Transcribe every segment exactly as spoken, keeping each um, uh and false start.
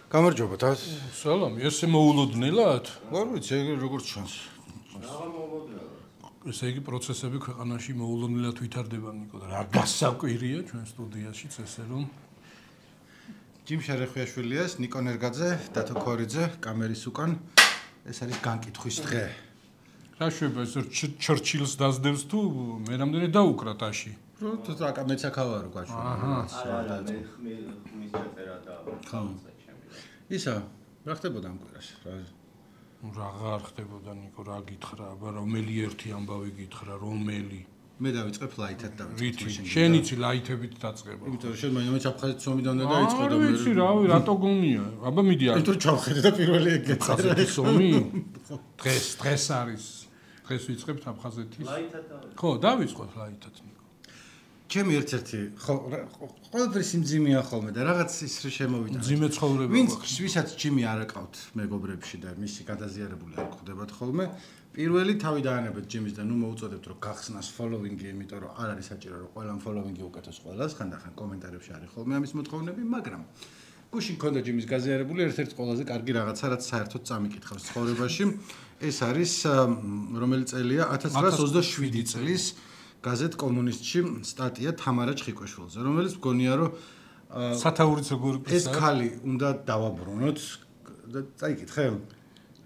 გამარჯობა თავს. სალამი, ესე მოულოდნელად? არ ვიცი, ეგ როგორც ჩანს. რა მოულოდნელად? ესე იგი პროცესები ქვეყანაში მოულოდნელად ვითარდება ნიკო და რა გასაკვირია ჩვენ სტუდიაშიც ესე რომ ჯიმ შერეხვიაშვილიას, ნიკო ნერგაძე, დათო ქორიძე, კამერის უკან ეს არის განკითხვის დღე. რა შეიძლება ეს ჩერჩილს დაძდევს თუ მე რამდენი დაუკრა ტაში? რო თუ აკა მეც აქავარო გაშვი. აჰა. არა, მე ხმის წერა და ხალხზე ჩემი. ისა, რა ხდებოდა ამ კვირას? რა აღარ ხდებოდა ნიკო, რა გითხრა, აბა რომელი ერთი ამბავი გითხრა, რომელი? მე დავიწყებ ლაითად დავიწყებ. რითი? შენიცი ლაითებით დაწყება. იმიტომ რომ შენ მაინც აფხაზეთ სომიდან და დაიწყო და მე ვიცი, რავი, რატო გონია? აბა მიდი არ. იმიტომ რომ ჩავხედე და პირველი ეგ გეწერა. აფხაზეთის ომი? დღეს, დღეს არის. დღეს ვიწყებთ აფხაზეთის. ლაითად დავიწყე. ხო, დავიწყოთ ლაითად ნიკო. ჩემი ერთ-ერთი ხო ყველაფერი სიმძიმეა ხოლმე და რაღაც ის შემოვიდა. ძიმე ცხოვრება. ვინც ვისაც ჯიმი არ აკავთ მეგობრებში და მისი გადაზიარებული არ გხვდებათ ხოლმე, პირველი თავი დაანებეთ ჯიმის და ნუ მოუწოდებთ რომ გახსნას ფოლოვინგი, იმიტომ რომ არ არის საჭირო რომ ყველა ფოლოვინგი უკეთოს ყველას, ხანდახან კომენტარებში არის ხოლმე ამის მოთხოვნები, მაგრამ გუშინ მქონდა ჯიმის გაზიარებული ერთ-ერთი ყველაზე კარგი რაღაცა, რაც საერთოდ წამიკითხავს ცხოვრებაში, ეს არის რომელი წელია ათას ცხრაას ოცდაშვიდი წლის გაზეთ კომუნისტში სტატია თამარა ჩხიკვეშვილზე, რომელიც მგონია რომ სათაურიც როგორი ეს ქალი უნდა დავაბრუნოთ და წაიკითხე?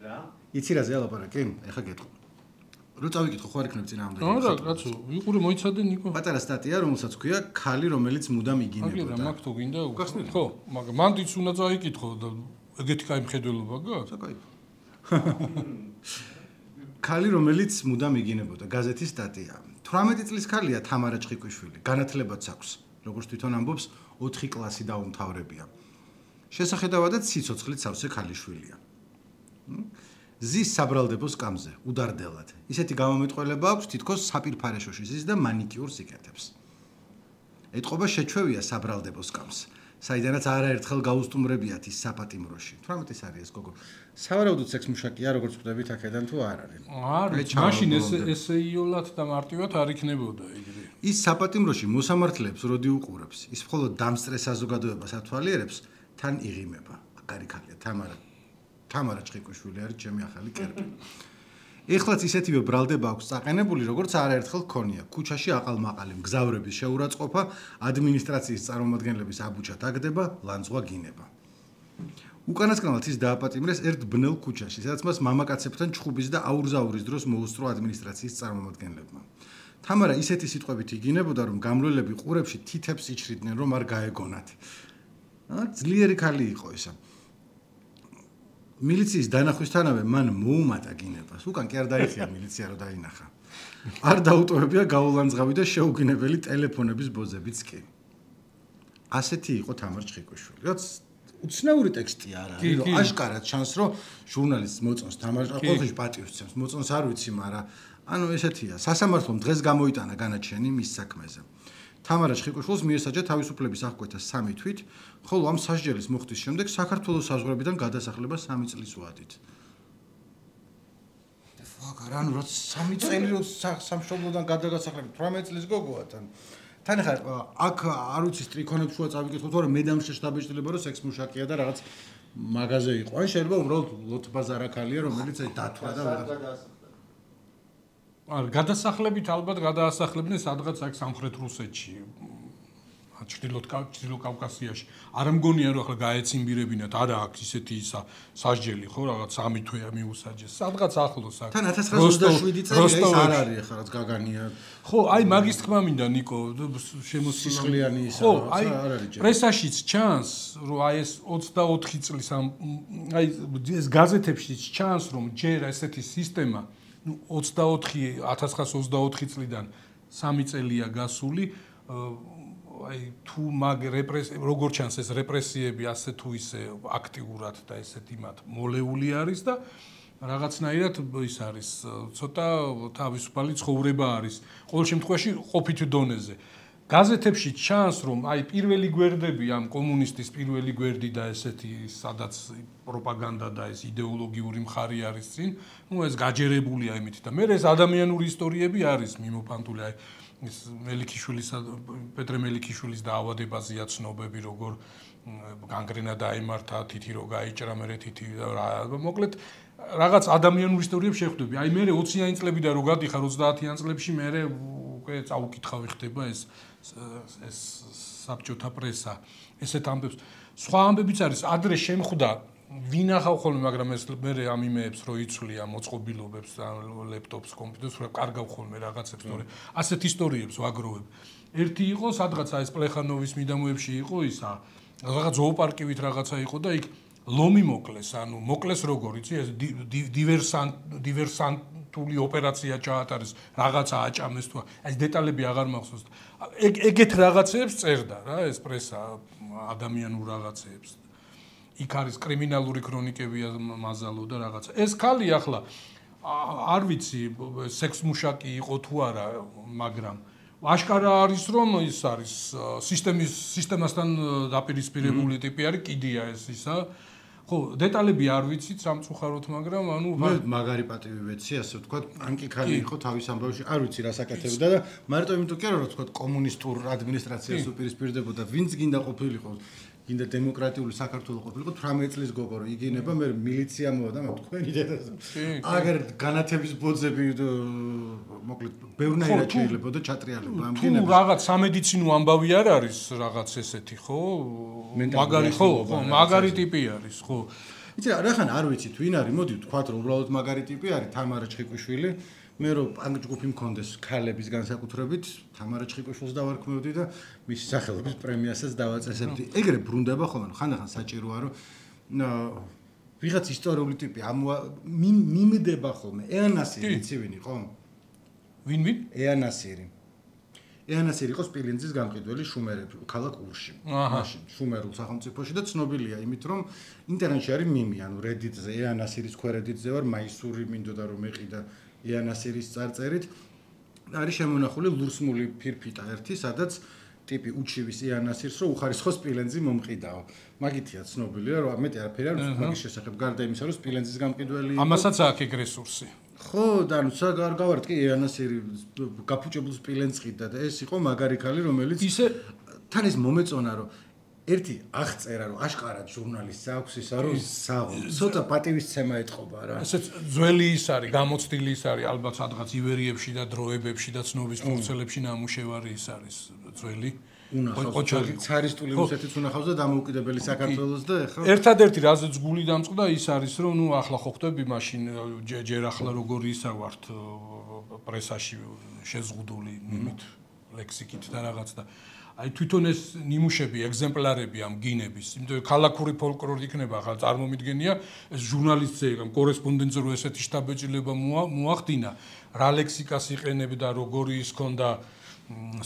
რა? იცი რა ზეალაპარაკი? ეხა გეტყვი. რო წავიკითხო ხო არ იქნებ წინააღმდეგ. არა, კაცო, ვიყურე მოიცადე ნიკო. პატარა სტატია, რომელსაც ქვია ქალი, რომელიც მუდამ იგინებოდა. აგერა მაგ თუ გინდა უხსნით? ხო, მაგრამ მანდიც უნდა წაიკითხო და ეგეთი кай მხედველობა გაქვს? საკაიფო. ქალი, რომელიც მუდამ იგინებოდა, გაზეთის სტატია. თვრამეტი წლის ქალია თამარა ჩხიკვეშვილი, განათლებაც აქვს, როგორც თვითონ ამბობს, ოთხი კლასი დაუმთავრებია. შესახედავადაც სიცოცხლით სავსე ქალიშვილია. ზის საბრალდებოს კამზე, უდარდელად. ისეთი გამომეტყველება აქვს, თითქოს საპირფარეშოში ზის და მანიკიურს იკეთებს. ეტყობა შეჩვევია საბრალდებოს კამს, საიდანაც არაერთხელ გაუსტუმრებიათ ის საპატიმროში. თვრამეტის არის ეს გოგო. სავარაუდოდ სექს მუშაკია, როგორც ხვდებით აქედან თუ არ არის. არის, მაშინ ეს ესეიოლად და მარტივად არ იქნებოდა იგივე. ის საპატიმროში მოსამართლეებს როდი უყურებს, ის მხოლოდ დამსწრე საზოგადოებას ათვალიერებს, თან იღიმება. კარი ქალია თამარა. თამარა ჩხიკვეშვილი არის ჩემი ახალი კერპი. ეხლაც ისეთივე ბრალდება აქვს წაყენებული, როგორც არაერთხელ ჰქონია. ქუჩაში აყალმაყალი, მგზავრების შეურაცხყოფა, ადმინისტრაციის წარმომადგენლების აბუჩა დაგდება, ლანძღვა გინება. უკანასკნელად ის დააპატიმრეს ერთ ბნელ ქუჩაში, სადაც მას მამაკაცებთან ჩხუბის და აურზაურის დროს მოუსწრო ადმინისტრაციის წარმომადგენლებმა. თამარა ისეთი სიტყვებით იგინებოდა, რომ გამლველები ყურებში თითებს იჩრიდნენ, რომ არ გაეგონათ. აა ძლიერი ქალი იყო ისა. მილიციის დანახვისთანავე მან მოუმატა გინებას. უკან კი არ დაიხია მილიცია რომ დაინახა. არ დაუტოვებია გაულანძღავი და შეუგინებელი ტელეფონების ბოზებიც კი. ასეთი იყო თამარ ჩხიკვეშვილი. რაც უცნაური ტექსტია არა, რომ აშკარად ჩანს რომ ჟურნალისტს მოწონს თამარ ყველაფერში პატივს ცემს. მოწონს არ ვიცი, მაგრამ ანუ ესეთია. სასამართლომ დღეს გამოიტანა განაჩენი მის საქმეზე. თამარა ჩხიკვეშვილს მიესაჯა თავისუფლების აღკვეთა სამი თვით, ხოლო ამ სასჯელის მოხდის შემდეგ საქართველოს საზღვრებიდან გადასახლება სამი წლის ვადით. ფაკ, ანუ რა სამი წელი რო სამშობლოდან გადაგასახლები თვრამეტი წლის გოგოა თან. თან ხარ აქ არ ვიცი სტრიქონებს შუა წავიკითხოთ, თორემ მე დამშეშ დაბეჭდილება რომ სექს მუშაკია და რაღაც მაღაზე იყო. ან შეიძლება უბრალოდ ლოთბაზარა ქალია, რომელიც აი დათვრა და ვიღაც არ გადასახლებით ალბათ გადაასახლებდნენ სადღაც აქ სამხრეთ რუსეთში. ჩრდილოეთ ჩრდილო კავკასიაში. არ მგონია რომ ახლა გაეციმბირებინათ, არა აქვს ისეთი ისა სასჯელი ხო რაღაც სამი თვეა მიუსაჯეს. სადღაც ახლოს აქ. თან ათას ცხრაას ოცდაშვიდი წელი ის არ არის ახლა რაც გაგანია. ხო, აი მაგის თქმა მინდა ნიკო, შემოსილიანი ისა ხო, აი არ არის ჯერ. პრესაშიც ჩანს, რომ აი ეს ოცდაოთხი წლის ამ აი ეს გაზეთებშიც ჩანს, რომ ჯერ ესეთი სისტემა ну ოცდაოთხი ათას ცხრაას ოცდაოთხი წლიდან სამი წელია გასული აი თუ მაგ რეპრესი როგორ ჩანს ეს რეპრესიები ასე თუ ისე აქტიურად და ესეთ იმათ მოლეული არის და რაღაცნაირად ის არის ცოტა თავისუფალი ცხოვრება არის ყოველ შემთხვევაში ყოფით დონეზე გაზეთებში ჩანს რომ აი პირველი გვერდები ამ კომუნისტის პირველი გვერდი და ესეთი სადაც პროპაგანდა და ეს იდეოლოგიური მხარი არის წინ, ну ეს გაჯერებულია იმით და მე ეს ადამიანური ისტორიები არის მიმოფანტული აი ის მელიქიშვილისა პეტრე მელიქიშვილის დაავადებაზეა ცნობები როგორ განგრენა დაემართა თითი რო გაიჭრა მე თითი მოკლედ რაღაც ადამიანური ისტორიებს შეხვდები აი მე ოციანი წლებიდან რო გადიხარ ოცდაათიან წლებში მე უკვე წაუკითხავი ხდება ეს ეს საბჭოთა პრესა ესეთ ამბებს სხვა ამბებიც არის ადრე შემხვდა ვინახავ ხოლმე მაგრამ ეს მე ამ იმეებს რო იცვლია მოწყობილობებს ლეპტოპს კომპიუტერს რო კარგავ ხოლმე რაღაცებს თორე ასეთ ისტორიებს ვაგროვებ ერთი იყო სადღაც ეს პლეხანოვის მიდამოებში იყო ისა რაღაც ზოოპარკივით რაღაცა იყო და იქ ლომი მოკლეს ანუ მოკლეს როგორ იცი ეს დივერსანტ დივერსანტული ოპერაცია ჩაატარეს რაღაცა აჭამეს თუ ეს დეტალები აღარ მახსოვს ეგეთ რაღაცებს წერდა რა ეს პრესა ადამიანურ რაღაცებს იქ არის კრიმინალური ქრონიკებია მაზალო და რაღაცა ეს ქალი ახლა არ ვიცი სექს მუშაკი იყო თუ არა მაგრამ აშკარა არის რომ ის არის სისტემის სისტემასთან დაპირისპირებული ტიპი არის კიდია ეს ისა ხო დეტალები არ ვიცით სამწუხაროდ მაგრამ ანუ მე მაგარი პატივი ვეცი ასე ვთქვათ ანკი ქალი იყო თავის ამბავში არ ვიცი რა საკეთებდა და მარტო იმიტომ კი არა რომ ვთქვათ კომუნისტურ ადმინისტრაციას უპირისპირდებოდა ვინც გინდა ყოფილიყო გინდა დემოკრატიული საქართველო ყოფილიყო თვრამეტ წლის გოგო რომ იგინება მე მილიცია მოვიდა მაგრამ თქვენი დედას აგერ განათების ბოძები მოკლედ ბევრნაირად შეიძლება და ჩატრიალება ამ გინებას თუ რაღაც სამედიცინო ამბავი არ არის რაღაც ესეთი ხო მაგარი ხო ხო მაგარი ტიპი არის ხო იცი რა ხან არ ვიცით ვინ არის მოდი ვთქვათ რომ უბრალოდ მაგარი ტიპი არის თამარა ჩხიკვიშვილი მე რომ პანკ ჯგუფი მქონდეს ქალების განსაკუთრებით თამარა ჩხიკვიშვილს დავარქმევდი და მისი სახელობის პრემიასაც დავაწესებდი ეგრე ბრუნდება ხოლმე ხანდახან საჭიროა რომ ვიღაც ისტორიული ტიპი მიმდება ხოლმე ეანასირი იცი ვინ იყო ვინ ვინ ეანასირი ეანასირი იყო სპილენძის გამყიდველი შუმერები ქალაქ ურში მაშინ შუმერულ სახელმწიფოში და ცნობილია იმით რომ ინტერნეტში არის მიმი ანუ Reddit-ზე ეანასირის ქვერედიტზე ვარ მაისური მინდოდა რომ მეყიდა ეანასირის წარწერით არის შემონახული ლურსმული ფირფიტა ერთი სადაც ტიპი უჩივის ეანასირს რომ უხარისხო სპილენძი მომყიდაო მაგითია ცნობილია რომ მეტი არაფერი არ ვიცი მაგის შესახებ გარდა იმისა რომ სპილენძის გამყიდველი ამასაც აქვს ეგ რესურსი ხო და ნუ საგარ გავარტყი ეანასირი გაფუჭებულ სპილენძს ყიდა და ეს იყო მაგარი ქალი რომელიც ისე თან ის მომეწონა რომ ერთი აღწერა რომ აშკარად ჟურნალისტს აქვს ისა რომ საღო ცოტა პატივისცემა ეთყობა რა ესეც ძველი ის არის გამოცდილი ის არის ალბათ სადღაც ივერიებში და დროებებში და ცნობის ფურცელებში ნამუშევარი ის არის ძველი ოჩარი ცარისტული რუსეთის უნახავს და დამოუკიდებელი საქართველოს და ეხლა ერთადერთი რაზეც გული დამწყდა ის არის რომ ნუ ახლა ხო ხდები მაშინ ჯერ ახლა როგორი ისა ვართ პრესაში შეზღუდული იმით ლექსიკით და რაღაც და აი თვითონ ეს ნიმუშები ეგზემპლარები ამ გინების იმიტომ რომ ქალაქური ფოლკლორი იქნება ახლა წარმომიდგენია ეს ჟურნალისტზე კორესპონდენტზე რო ესეთი შტაბეჭილება მოახდინა რა ლექსიკას იყენებდა როგორი ის ქონდა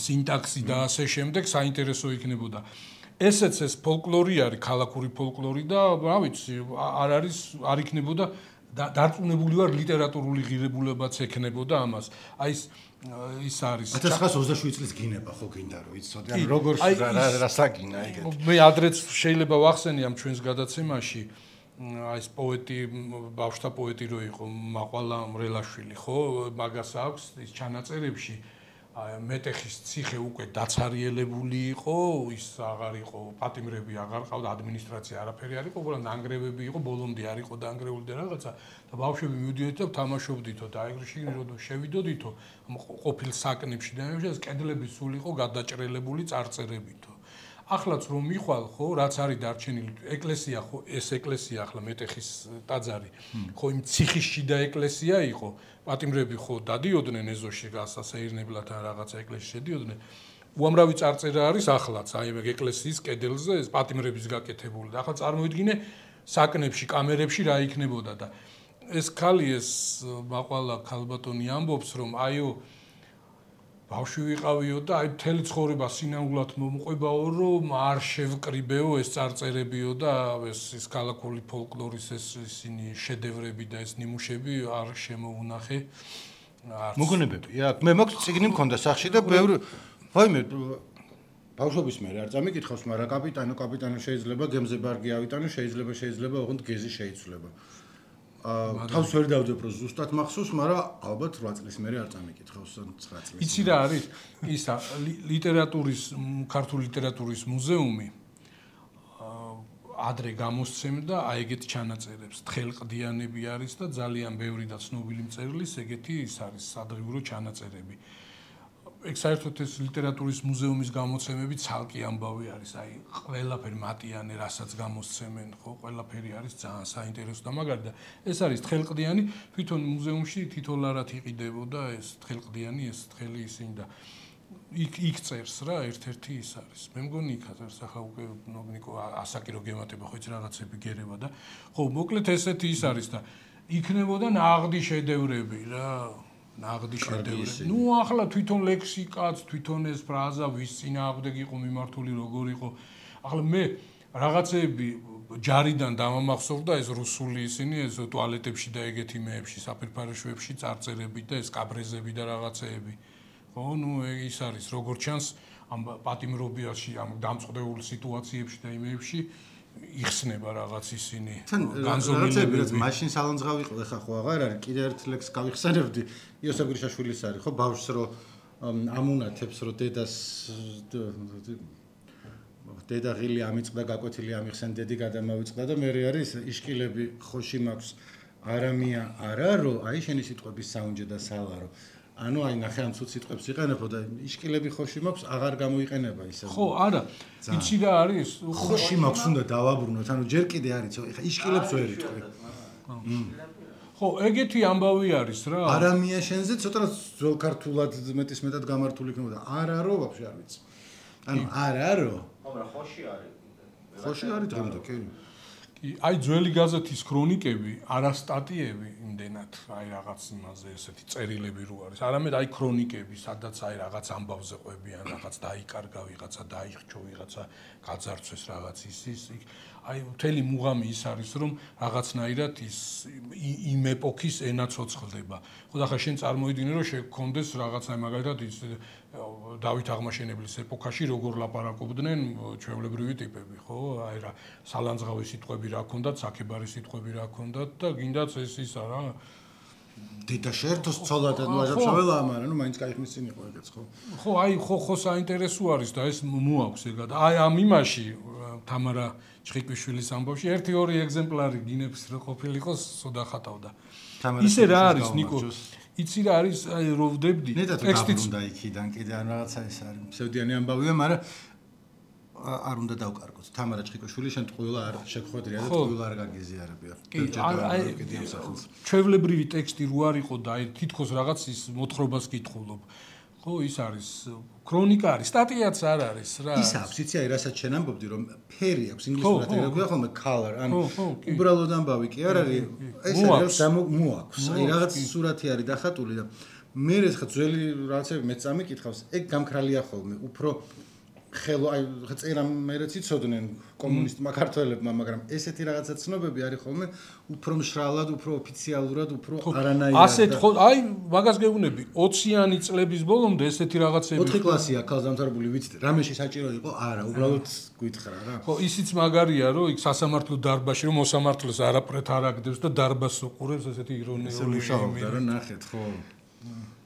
სინტაქსი და ასე შემდეგ საინტერესო იქნებოდა ესეც ეს ფოლკლორი არის ქალაქური ფოლკლორი და რა ვიცი არ არის არ იქნებოდა დარწმუნებული ვარ ლიტერატურული ღირებულებაც ექნებოდა ამას აი ეს ის არის ათას ცხრაას ოცდაშვიდი წლის გინება ხო გინდა რომ იცოდე ან როგორ რა საგინა ეგეთ მე ადრეც შეიძლება ვახსენე ამ ჩვენს გადაცემაში აი ეს პოეტი ბავშთა პოეტი რო იყო მაყვალა მრელაშვილი ხო მაგას აქვს ის ჩანაწერებში მეტეხის ციხე უკვე დაცარიელებული იყო ის აღარ იყო პატიმრები აღარ ყავდა ადმინისტრაცია არაფერი არ იყო უბრალოდ ნანგრევები იყო ბოლომდე არ იყო დაანგრეული და რაღაცა და ბავშვები მივიდიოდით და თამაშობდითო და ეგრეში რომ შევიდოდითო ყოფილ საკნებში და ეს კედლები სულ იყო გადაჭრელებული წარწერებითო ახლაც რომ მიხვალ ხო რაც არის დარჩენილი ეკლესია ხო ეს ეკლესია ახლა მეტეხის ტაძარი ხო იმ ციხის შიდა ეკლესია იყო პატიმრები ხო დადიოდნენ ეზოში გასასეირნებლად ან რაღაცა ეკლესიაში შედიოდნენ უამრავი წარწერა არის ახლაც აი ეგ ეკლესიის კედელზე ეს პატიმრების გაკეთებული და ახლა წარმოვიდგინე საკნებში კამერებში რა იქნებოდა და ეს ქალი ეს მაყვალა ქალბატონი ამბობს რომ აიო ბავშვი ვიყავიო და აი მთელი ცხოვრება სინაულად მომყვებაო რომ არ შევკრიბეო ეს წარწერებიო და ეს ის ქალაქური ფოლკლორის ეს ისინი შედევრები და ეს ნიმუშები არ შემოუნახე არც მოგონებები აქ მე მაქვს წიგნი მქონდა სახში და ბევრი ვაიმე ბავშვობის მე არ წამიკითხავს მაგრამ კაპიტანო კაპიტანო შეიძლება გემზე ბარგი ავიტანო შეიძლება შეიძლება ოღონდ გეზი შეიცვლება თავს ვერ დავდებ რომ ზუსტად მახსოვს, მაგრამ ალბათ რვა წლის მერე არ წამიკითხავს ცხრა წლის. იცი რა არის? ისა ლიტერატურის ქართული ლიტერატურის მუზეუმი ადრე გამოსცემდა აი ეგეთ ჩანაწერებს. თხელყდიანები არის და ძალიან ბევრი და ცნობილი მწერლის ეგეთი ის არის სადღიურო ჩანაწერები. ეგ საერთოდ ეს ლიტერატურის მუზეუმის გამოცემები ცალკე ამბავი არის. აი ყველაფერი მატიანე რასაც გამოსცემენ, ხო, ყველაფერი არის ძალიან საინტერესო და მაგარი და ეს არის თხელყდიანი, თვითონ მუზეუმში თითოლარად იყიდებოდა ეს თხელყდიანი, ეს თხელი ისინი და იქ იქ წერს რა, ერთ-ერთი ის არის. მე მგონი იქ წერს, ახლა უკვე ნიკო ასაკი რო გემატება ხო იცი რაღაცები გერევა და ხო, მოკლედ ესეთი ის არის და იქნებოდა ნაღდი შედევრები რა. ნაღდი შედევრები. ნუ ახლა თვითონ ლექსიკაც, თვითონ ეს ფრაზა ვის წინააღმდეგ იყო მიმართული, როგორ იყო. ახლა მე რაღაცეები ჯარიდან დამამახსოვრდა ეს რუსული ისინი, ეს ტუალეტებში და ეგეთი მეებში, საფერფარეშოებში წარწერები და ეს კაბრეზები და რაღაცეები. ხო, ნუ ის არის, როგორც ჩანს, ამ პატიმრობიაში, ამ დამწყდეულ სიტუაციებში და იმეებში იხსნება რაღაც ისინი განზომილებები. რაც მაშინ სალანძღავი იყო, ეხა ხო აღარ არის, კიდე ერთ ლექს გავიხსენებდი. იოსებ გრიშაშვილის არის, ხო, ბავშვს რო ამუნათებს, რო დედას დედა ღილი ამიწყდა, გაკვეთილი ამიხსენ, დედი გადამავიწყდა და მე არის იშკილები ხოში მაქვს არამია არა, რო აი შენი სიტყვების საუნჯე და სალარო. ანუ აი ნახე ამ ცუც სიტყვებს იყენებო და იშკილები ხოში მაქვს აღარ გამოიყენება ისე. ხო, არა. იცი რა არის? ხოში მაქვს უნდა დავაბრუნოთ, ანუ ჯერ კიდე არის, ეხა იშკილებს ვერ იტყვი. ხო, ეგეთი ამბავი არის რა. არამია შენზე ცოტა ძველ ქართულად მეტის მეტად გამართული იქნება და არა რო ვაფშე არ ვიცი. ანუ არა რო. ხო, მაგრამ ხოში არის. ხოში არის დღემდე, კი. კი, აი ძველი გაზეთის ქრონიკები, არა სტატიები იმდენად, აი რაღაც იმაზე ესეთი წერილები რო არის. არამედ აი ქრონიკები, სადაც აი რაღაც ამბავზე ყვებიან, რაღაც დაიკარგა ვიღაცა, დაიხჩო ვიღაცა, გაძარცვეს რაღაც ის ის. აი მთელი მუღამი ის არის, რომ რაღაცნაირად ის იმ ეპოქის ენა ცოცხლდება. ხო და ახლა შენ წარმოიდგინე, რომ შეგქონდეს რაღაცნაირად მაგალითად ის დავით აღმაშენებლის ეპოქაში როგორ ლაპარაკობდნენ ჩვეულებრივი ტიპები, ხო? აი რა სალანძღავი სიტყვები რა ქონდათ, საქებარი სიტყვები რა ქონდათ და გინდაც ეს ისა რა. დედა შეერთოს ცოლად და ვაჟაბშაველა, მაგრამ ნუ მაინც кайხმის წინ იყო ეგეც, ხო? ხო, აი ხო ხო საინტერესო არის და ეს მოაქვს ეგად. აი ამ იმაში თამარა ჩხიკვიშვილის ამბავში ერთი ორი ეგზემპლარი გინებს რო ყოფილიყო, სოდა ხატავდა. ისე რა არის, ნიკო? იცი რა არის, აი რო ვდებდი ტექსტიც უნდა იქიდან კიდე ან რაღაცა ეს არის. ფსევდიანი ამბავია, მაგრამ არ უნდა დავკარგოთ. თამარა ჩხიკვიშვილი შენ ტყუილა არ შეგხვედრია და ტყუილა არ გაგიზიარებია. კი, აი ჩვეულებრივი ტექსტი რო არ იყო და აი თითქოს რაღაც ის მოთხრობას კითხულობ. ხო, ის არის ქრონიკა არის, სტატიაც არ არის რა. ის აქვს, იცი აი რასაც შენ ამბობდი რომ ფერი აქვს ინგლისურად ერეგვია ხოლმე color, ანუ უბრალოდ ამბავი კი არ არის, ეს არის მოაქვს. აი რაღაც სურათი არის დახატული და მე ხა ძველი რაღაცები მეც წამიკითხავს, ეგ გამქრალია ხოლმე, უფრო ხელო აი წერა მერეც იცოდნენ კომუნისტმა ქართველებმა, მაგრამ ესეთი რაღაცა ცნობები არის ხოლმე უფრო მშრალად, უფრო ოფიციალურად, უფრო არანაირად. ასეთ ხო, აი მაგას გეუბნები, ოციანი წლების ბოლომდე ესეთი რაღაცები. ოთხი კლასია ქალს დამთავრებული ვიცით, რამეში საჭირო იყო? არა, უბრალოდ გვითხრა რა. ხო, ისიც მაგარია, რომ იქ სასამართლო დარბაზში რომ მოსამართლეს არაფრეთ არ აგდებს და დარბაზს უყურებს, ესეთი ირონიული მუშაობდა რა ნახეთ, ხო.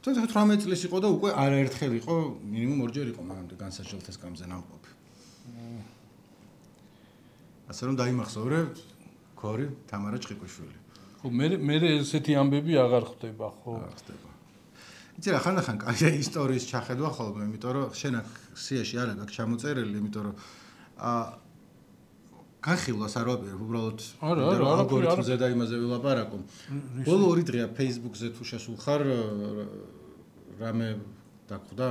თერთმეტ წლის იყო და უკვე არაერთხელ იყო, მინიმუმ ორჯერ იყო მაგამდე განსაჯელთა სკამზე ნამყოფი. ასე რომ დაიმახსოვრე ქორი თამარა ჩხიკვიშვილი. ხო, მე მე ესეთი ამბები აღარ ხდება, ხო? აღარ ხდება. იცი რა, ხანდახან კაია ისტორიის ჩახედვა ხოლმე, იმიტომ რომ შენ აქ სიაში არა გაქვს ჩამოწერილი, იმიტომ რომ აა განხილვას არ ვაპირებ, უბრალოდ ალგორითმზე და იმაზე ვილაპარაკო. ბოლო ორი დღეა Facebook-ზე თუ შესულხარ რამე დაგხვდა?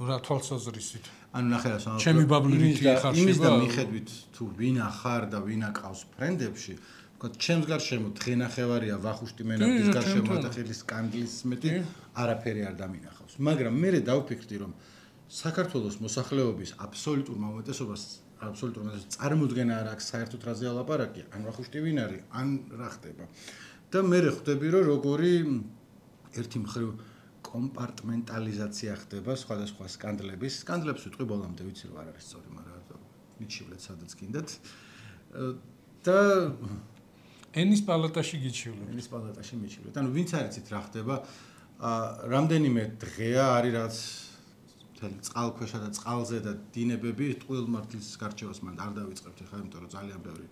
რა თვალსაზრისით? ანუ ნახე რა სამ ჩემი ბაბლით ხარ შევა. იმის და მიხედვით თუ ვინ ახარ და ვინ აკავს ფრენდებში, ვთქვათ, ჩემს გარშემო დღენახევარია ვახუშტი მენაბდის გარშემო და ხელის კანდლის მეტი არაფერი არ დამინახავს. მაგრამ მე დავფიქრდი, რომ საქართველოს მოსახლეობის აბსოლუტურმა უმეტესობას აბსოლუტურ უმეტესობას წარმოუდგენა არ აქვს საერთოდ რაზე ალაპარაკი, ან ვახუშტი ვინ არის, ან რა ხდება. და მე ხვდები, რომ როგორი ერთი მხრივ კომპარტმენტალიზაცია ხდება სხვადასხვა სკანდლების. სკანდლებს ვიტყვი ბოლომდე, ვიცი რომ არ არის სწორი, მაგრამ მიჩივლეთ სადაც გინდათ. და ენის პალატაში გიჩივლებ. ენის პალატაში მიჩივლებ. ანუ ვინც არ იცით რა ხდება, რამდენიმე დღეა არის რაც მთელი წყალქვეშა და წყალზე და დინებები ტყუილმართლის გარჩევას მან არ დავიწყებთ ახლა, იმიტომ რომ ძალიან ბევრი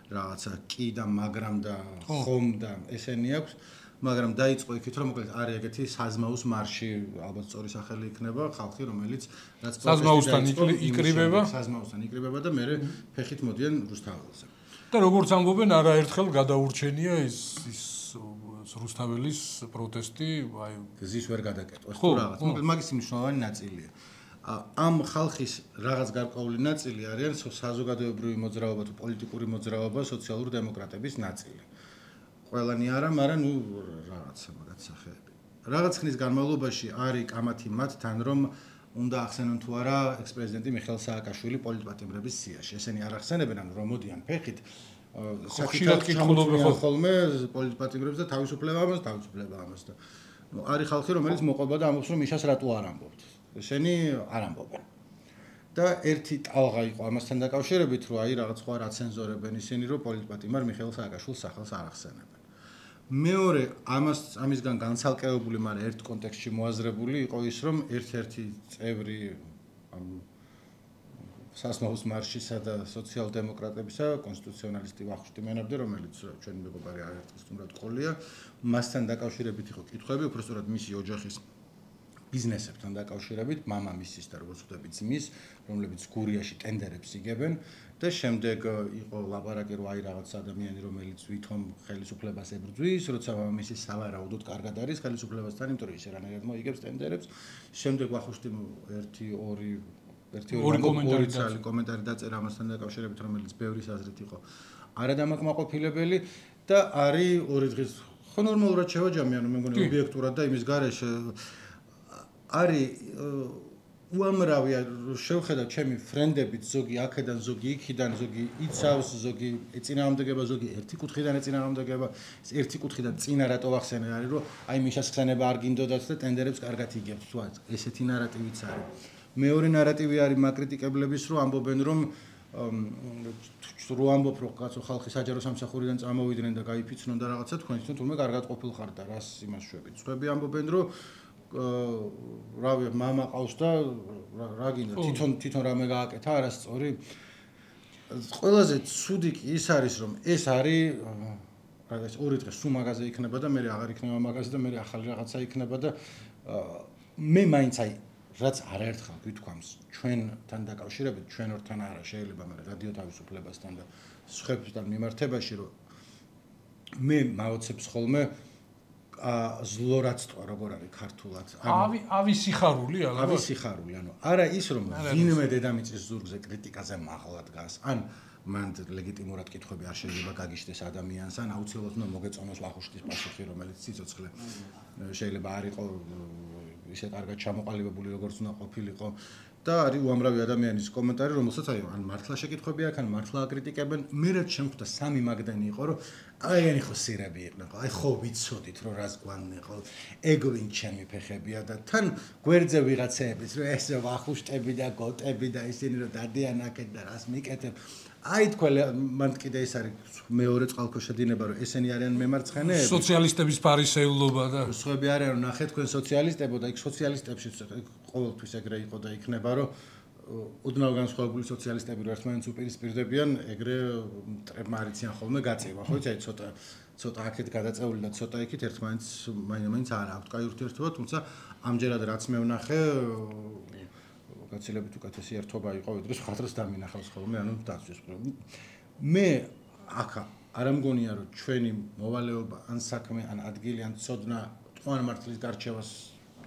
რაღაცა კი და მაგრამ და ხომ და ესენი აქვს. მაგრამ დაიწყო იქით რომ მოკლედ არის ეგეთი საზმაუს მარში, ალბათ სწორი სახელი იქნება, ხალხი რომელიც რაც საზმაუსთან იკრიბება, საზმაუსთან იკრიბება და მეორე ფეხით მოდიან რუსთაველზე. და როგორც ამბობენ, არაერთხელ გადაურჩენია ის ის რუსთაველის პროტესტი, აი გზის ვერ გადაკეტვას თუ რაღაც. მოკლედ მაგის მნიშვნელოვანი ნაწილია. ამ ხალხის რაღაც გარკვეული ნაწილი არიან საზოგადოებრივი მოძრაობა თუ პოლიტიკური მოძრაობა, სოციალური დემოკრატების ნაწილი. ყველანი არა, მაგრამ ნუ რაღაცა მაგათ სახეები. რაღაც ხნის განმავლობაში არის კამათი მათთან, რომ უნდა ახსენონ თუ არა ექს-პრეზიდენტი მიხეილ სააკაშვილი პოლიტპატიმრების სიაში. ესენი არ ახსენებენ, ანუ რომ მოდიან ფეხით ხშირად კითხულობენ ხოლმე პოლიტპატიმრებს და თავისუფლება ამას, თავისუფლება ამას და ნუ არის ხალხი, რომელიც მოყვება და ამბობს, რომ მიშას რატო არ ამბობთ. ესენი არ ამბობენ. და ერთი ტალღა იყო ამასთან დაკავშირებით, რომ აი რაღაც სხვა რა ცენზორებენ ისინი, რომ პოლიტპატიმარ მიხეილ სააკაშვილის სახელს არ ახსენებენ. მეორე ამას ამისგან განცალკევებული, მაგრამ ერთ კონტექსტში მოაზრებული იყო ის, რომ ერთ-ერთი წევრი ამ საზმაუს მარშისა და სოციალ-დემოკრატებისა, კონსტიტუციონალისტი ვახუშტი მენაბდე, რომელიც ჩვენი მეგობარი არაერთხელ სტუმრად ყოლია, მასთან დაკავშირებით იყო კითხვები, უბრალოდ მისი ოჯახის ბიზნესებთან დაკავშირებით, მამამისის და როგორც ხვდებით ძმის, რომლებიც გურიაში ტენდერებს იგებენ და შემდეგ იყო ლაპარაკი, რომ აი რაღაც ადამიანი, რომელიც ვითომ ხელისუფლებას ებრძვის, როცა მამამისი სავარაუდოდ კარგად არის ხელისუფლებასთან, იმიტომ რომ ის რანაირად მოიგებს ტენდერებს. შემდეგ ვახუშტიმ ერთი ორი ერთი ორი კომენტარი კომენტარი დაწერა ამასთან დაკავშირებით, რომელიც ბევრის აზრით იყო არადამაკმაყოფილებელი და არის ორი დღის ხო ნორმალურად შევაჯამე, ანუ მე მგონი ობიექტურად და იმის გარეშე არის უამრავი შევხედავ ჩემი ფრენდებით, ზოგი აქედან, ზოგი იქიდან, ზოგი იცავს, ზოგი ეწინააღმდეგება, ზოგი ერთი კუთხიდან ეწინააღმდეგება, ერთი კუთხიდან წინა რატო ვახსენე არის, რომ აი მიშას ხსენება არ გინდოდათ და ტენდერებს კარგად იგებთ, თუ ესეთი ნარატივიც არის. მეორე ნარატივი არის მაკრიტიკებლების, რომ ამბობენ, რომ რო ამბობ, რომ კაცო ხალხი საჯარო სამსახურიდან წამოვიდნენ და გაიფიცნონ და რაღაცა, თქვენ თვითონ თურმე კარგად ყოფილ ხართ და რას იმას შვებით. სხვები ამბობენ, რომ რავი მამა ყავს და რა გინდა თვითონ თვითონ რამე გააკეთა არასწორი. ყველაზე ცუდი კი ის არის, რომ ეს არის რაღაც ორი დღე სულ მაღაზია იქნება და მე აღარ იქნება მაღაზია და მე ახალი რაღაცა იქნება და მე მაინც აი რაც არაერთხელ გითქვამს ჩვენთან დაკავშირებით, ჩვენ ორთან არა შეიძლება, მაგრამ რადიო თავისუფლებასთან და სხვებთან მიმართებაში, რომ მე მაოცებს ხოლმე ზლორაცტვა როგორ არის ქართულად. ავი ავი სიხარული ალბათ. ავი სიხარული, ანუ არა ის რომ ვინმე დედამიწის ზურგზე კრიტიკაზე მაღლა დგას, ან მან ლეგიტიმურად კითხვები არ შეიძლება გაგიშდეს ადამიანს, ან აუცილებლად უნდა მოგეწონოს ვახუშტის პასუხი, რომელიც სიცოცხლე შეიძლება არ იყო ისე კარგად ჩამოყალიბებული, როგორც უნდა ყოფილიყო. და არის უამრავი ადამიანის კომენტარი, რომელსაც აი ან მართლა შეკითხვები აქვს, ან მართლა აკრიტიკებენ. მე რაც შემხვდა სამი მაგდანი იყო, რომ აიგენი ხო სირები იყვნენ, აი ხო ვიცოდით, რომ რას გვანდნენ, ხო ეგ ვინ ჩემი ფეხებია და თან გვერდზე ვიღაცეების, რომ ეს ვახუშტები და გოტები და ისინი რომ დადიან აქეთ და რას მიკეთებ. აი თქვენ მან კიდე ეს არის მეორე წყალქვეშა დინება, რომ ესენი არიან მემარცხენეები. სოციალისტების ფარისეულობა და სხვები არიან, რომ ნახეთ თქვენ სოციალისტებო და იქ სოციალისტებში ყოველთვის ეგრე იყო და იქნება, რომ უდნავ განსხვავებული სოციალისტები რო ერთმანეთს უპირისპირდებიან, ეგრე მტრებმა არიციან ხოლმე გაწევა, ხო იცი, აი ცოტა ცოტა აქეთ გადაწეული და ცოტა იქით ერთმანეთს მაინც არ აქვთ კაი ურთიერთობა, თუმცა ამჯერად რაც მე ვნახე გაცილებით უკეთესი ერთობა იყო, ვიდრე სხვა დროს დამინახავს ხოლმე, ანუ დაცვის. მე აქ არ მგონია, რომ ჩვენი მოვალეობა ან საქმე, ან ადგილი, ან ცოდნა თქვენ მართლის გარჩევას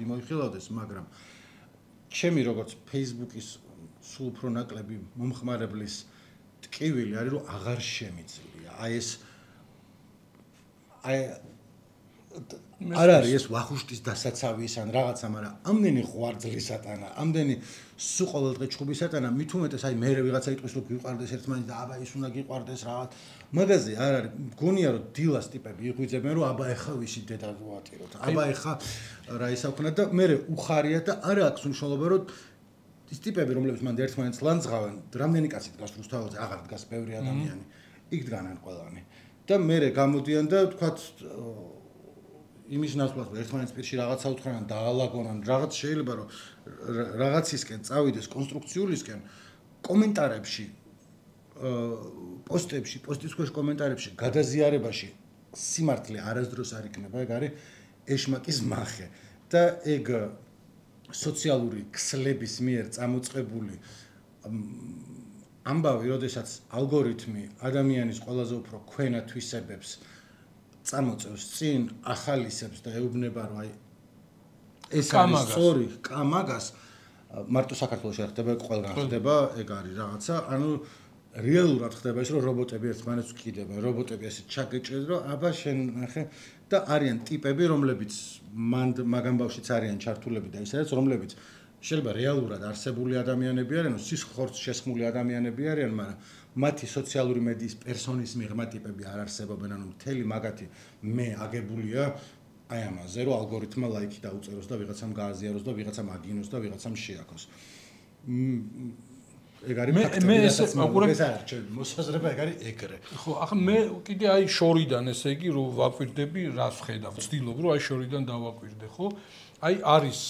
მიმოიხილავდეს, მაგრამ ჩემი როგორც Facebook-ის სულ უფრო ნაკლები მომხმარებლის ტკივილი არის, რომ აღარ შემიძლია. აი ეს აი არ არის ეს ვახუშტის დასაცავის ან რაღაცა, მაგრამ ამდენი ღვარძლისატანა, ამდენი სულ ყოველდღე ჩხუბისატანა, მით უმეტეს აი მე ვიღაცა იტყვის, რომ გიყვარდეს ერთმანეთს და აბა ის უნდა გიყვარდეს რაღაც. მაგაზე არ არის, მგონია რომ დილას ტიპები იღვიძებენ, რომ აბა ეხა ვისი დედა ვატიროთ. აბა ეხა რა ისაუქნათ და მე უხარია და არ აქვს მნიშვნელობა, რომ ის ტიპები, რომლებიც მანდ ერთმანეთს ლანძღავენ, რამდენი კაცი დგას რუსთაველზე, აღარ დგას ბევრი ადამიანი. იქ დგანან ყველანი. და მე გამოდიან და თქვათ იმის ნაცვლად ერთმანეთის პირში რაღაცა უთხრან დაალაგონან რაღაც შეიძლება რომ რაღაცისკენ წავიდეს კონსტრუქციულისკენ კომენტარებში პოსტებში პოსტის ქვეშ კომენტარებში გადაზიარებაში სიმართლე არასდროს არ იქნება ეგ არის ეშმაკის მახე და ეგ სოციალური ქსლების მიერ წამოწყებული ამბავი, როდესაც ალგორითმი ადამიანის ყველაზე უფრო ქვენა თვისებებს წამოწევს წინ, ახალისებს და ეუბნება, რომ აი ეს არის სწორი კამაგას მარტო საქართველოში არ ხდება, ყველგან ხდება, ეგ არის რაღაცა, ანუ რეალურად ხდება ის, რომ რობოტები ერთმანეთს ვკიდებენ, რობოტები ესე ჩაგეჭრეს, რომ აბა შენ ნახე და არიან ტიპები, რომლებიც მაგამ ბავშვიც არიან ჩართულები და ისედაც, რომლებიც შეიძლება რეალურად არსებული ადამიანები არიან, სისხლხორცს შესხმული ადამიანები არიან, მაგრამ მათი სოციალური მედიის პერსონის მიღმა ტიპები არ არსებობენ, ანუ მთელი მაგათი მე აგებულია აი ამაზე, რომ ალგორითმა ლაიქი დაუწეროს და ვიღაცამ გააზიაროს და ვიღაცამ აგინოს და ვიღაცამ შეაქოს. ეგ არის ფაქტი, რასაც ეს არის მოსაზრება, ეგ არის ეგრე. ხო, ახლა მე კიდე აი შორიდან ესე იგი რომ ვაკვირდები, რას ვხედავ, ვცდილობ რომ აი შორიდან დავაკვირდე, ხო? აი არის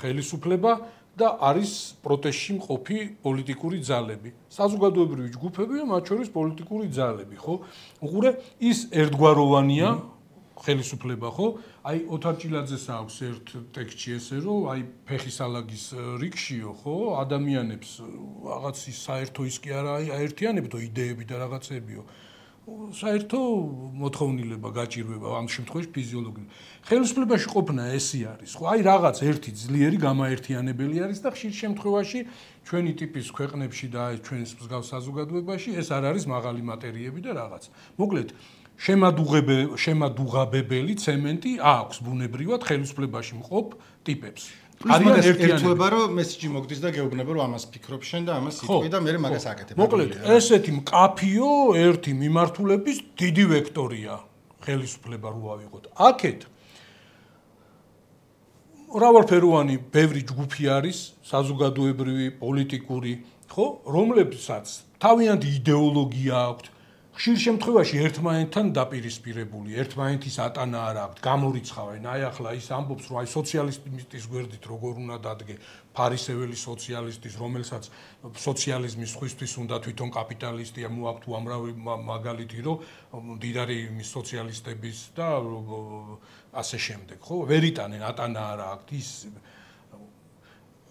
ხელისუფლება და არის პროტესტში მყოფი პოლიტიკური ძალები. საზოგადოებრივი ჯგუფები და მათ შორის პოლიტიკური ძალები, ხო? უყურე ის ერთგვაროვანია ხელისუფლება, ხო? აი ოთარ ჭილაძეს აქვს ერთ ტექსტში ესე რომ აი ფეხისალაგის რიგშიო, ხო? ადამიანებს რაღაც ის საერთო ის კი არა აერთიანებდო იდეები და რაღაცებიო. საერთო მოთხოვნილება გაჭირვება ამ შემთხვევაში ფიზიოლოგიური. ხელისუფლებაში ყოფნა ესი არის, ხო? აი რაღაც ერთი ძლიერი გამაერთიანებელი არის და ხშირ შემთხვევაში ჩვენი ტიპის ქვეყნებში და აი ჩვენს მსგავს საზოგადოებაში ეს არ არის მაღალი მატერიები და რაღაც. მოკლედ შემადუღაბებელი ცემენტი აქვს ბუნებრივად ხელისუფლებაში მყოფ ტიპებს. არიან ერთიანება რომ მესიჯი მოგდის და გეუბნება რომ ამას ფიქრობ შენ და ამას იტყვი და მე მაგას აკეთებ. მოკლედ ესეთი მკაფიო ერთი მიმართულების დიდი ვექტორია ხელისუფლება რო ავიღოთ. აქეთ მრავალფეროვანი ბევრი ჯგუფი არის, საზოგადოებრივი, პოლიტიკური, ხო, რომლებსაც თავიანთი იდეოლოგია აქვთ. ხშირ შემთხვევაში ერთმანეთთან დაპირისპირებული, ერთმანეთის ატანა არ აქვთ, გამორიცხავენ. აი ახლა ის ამბობს, რომ აი სოციალისტის გვერდით როგორ უნდა დადგე ფარისეველი სოციალისტის, რომელსაც სოციალიზმის სხვისთვის უნდა თვითონ კაპიტალისტია, მოაქვთ უამრავი მაგალითი, რომ მდიდარი იმის სოციალისტების და ასე შემდეგ, ხო? ვერ იტანენ, ატანა არ აქვთ ის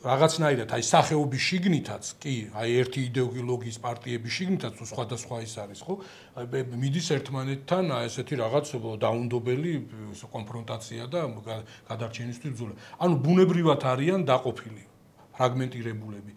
რაღაცნაირად აი სახეობის შიგნითაც კი აი ერთი იდეოლოგიის პარტიების შიგნითაც თუ სხვადასხვა ის არის ხო აი მიდის ერთმანეთთან აი ესეთი რაღაც დაუნდობელი კონფრონტაცია და გადარჩენისთვის ბრძოლა ანუ ბუნებრივად არიან დაყოფილი ფრაგმენტირებულები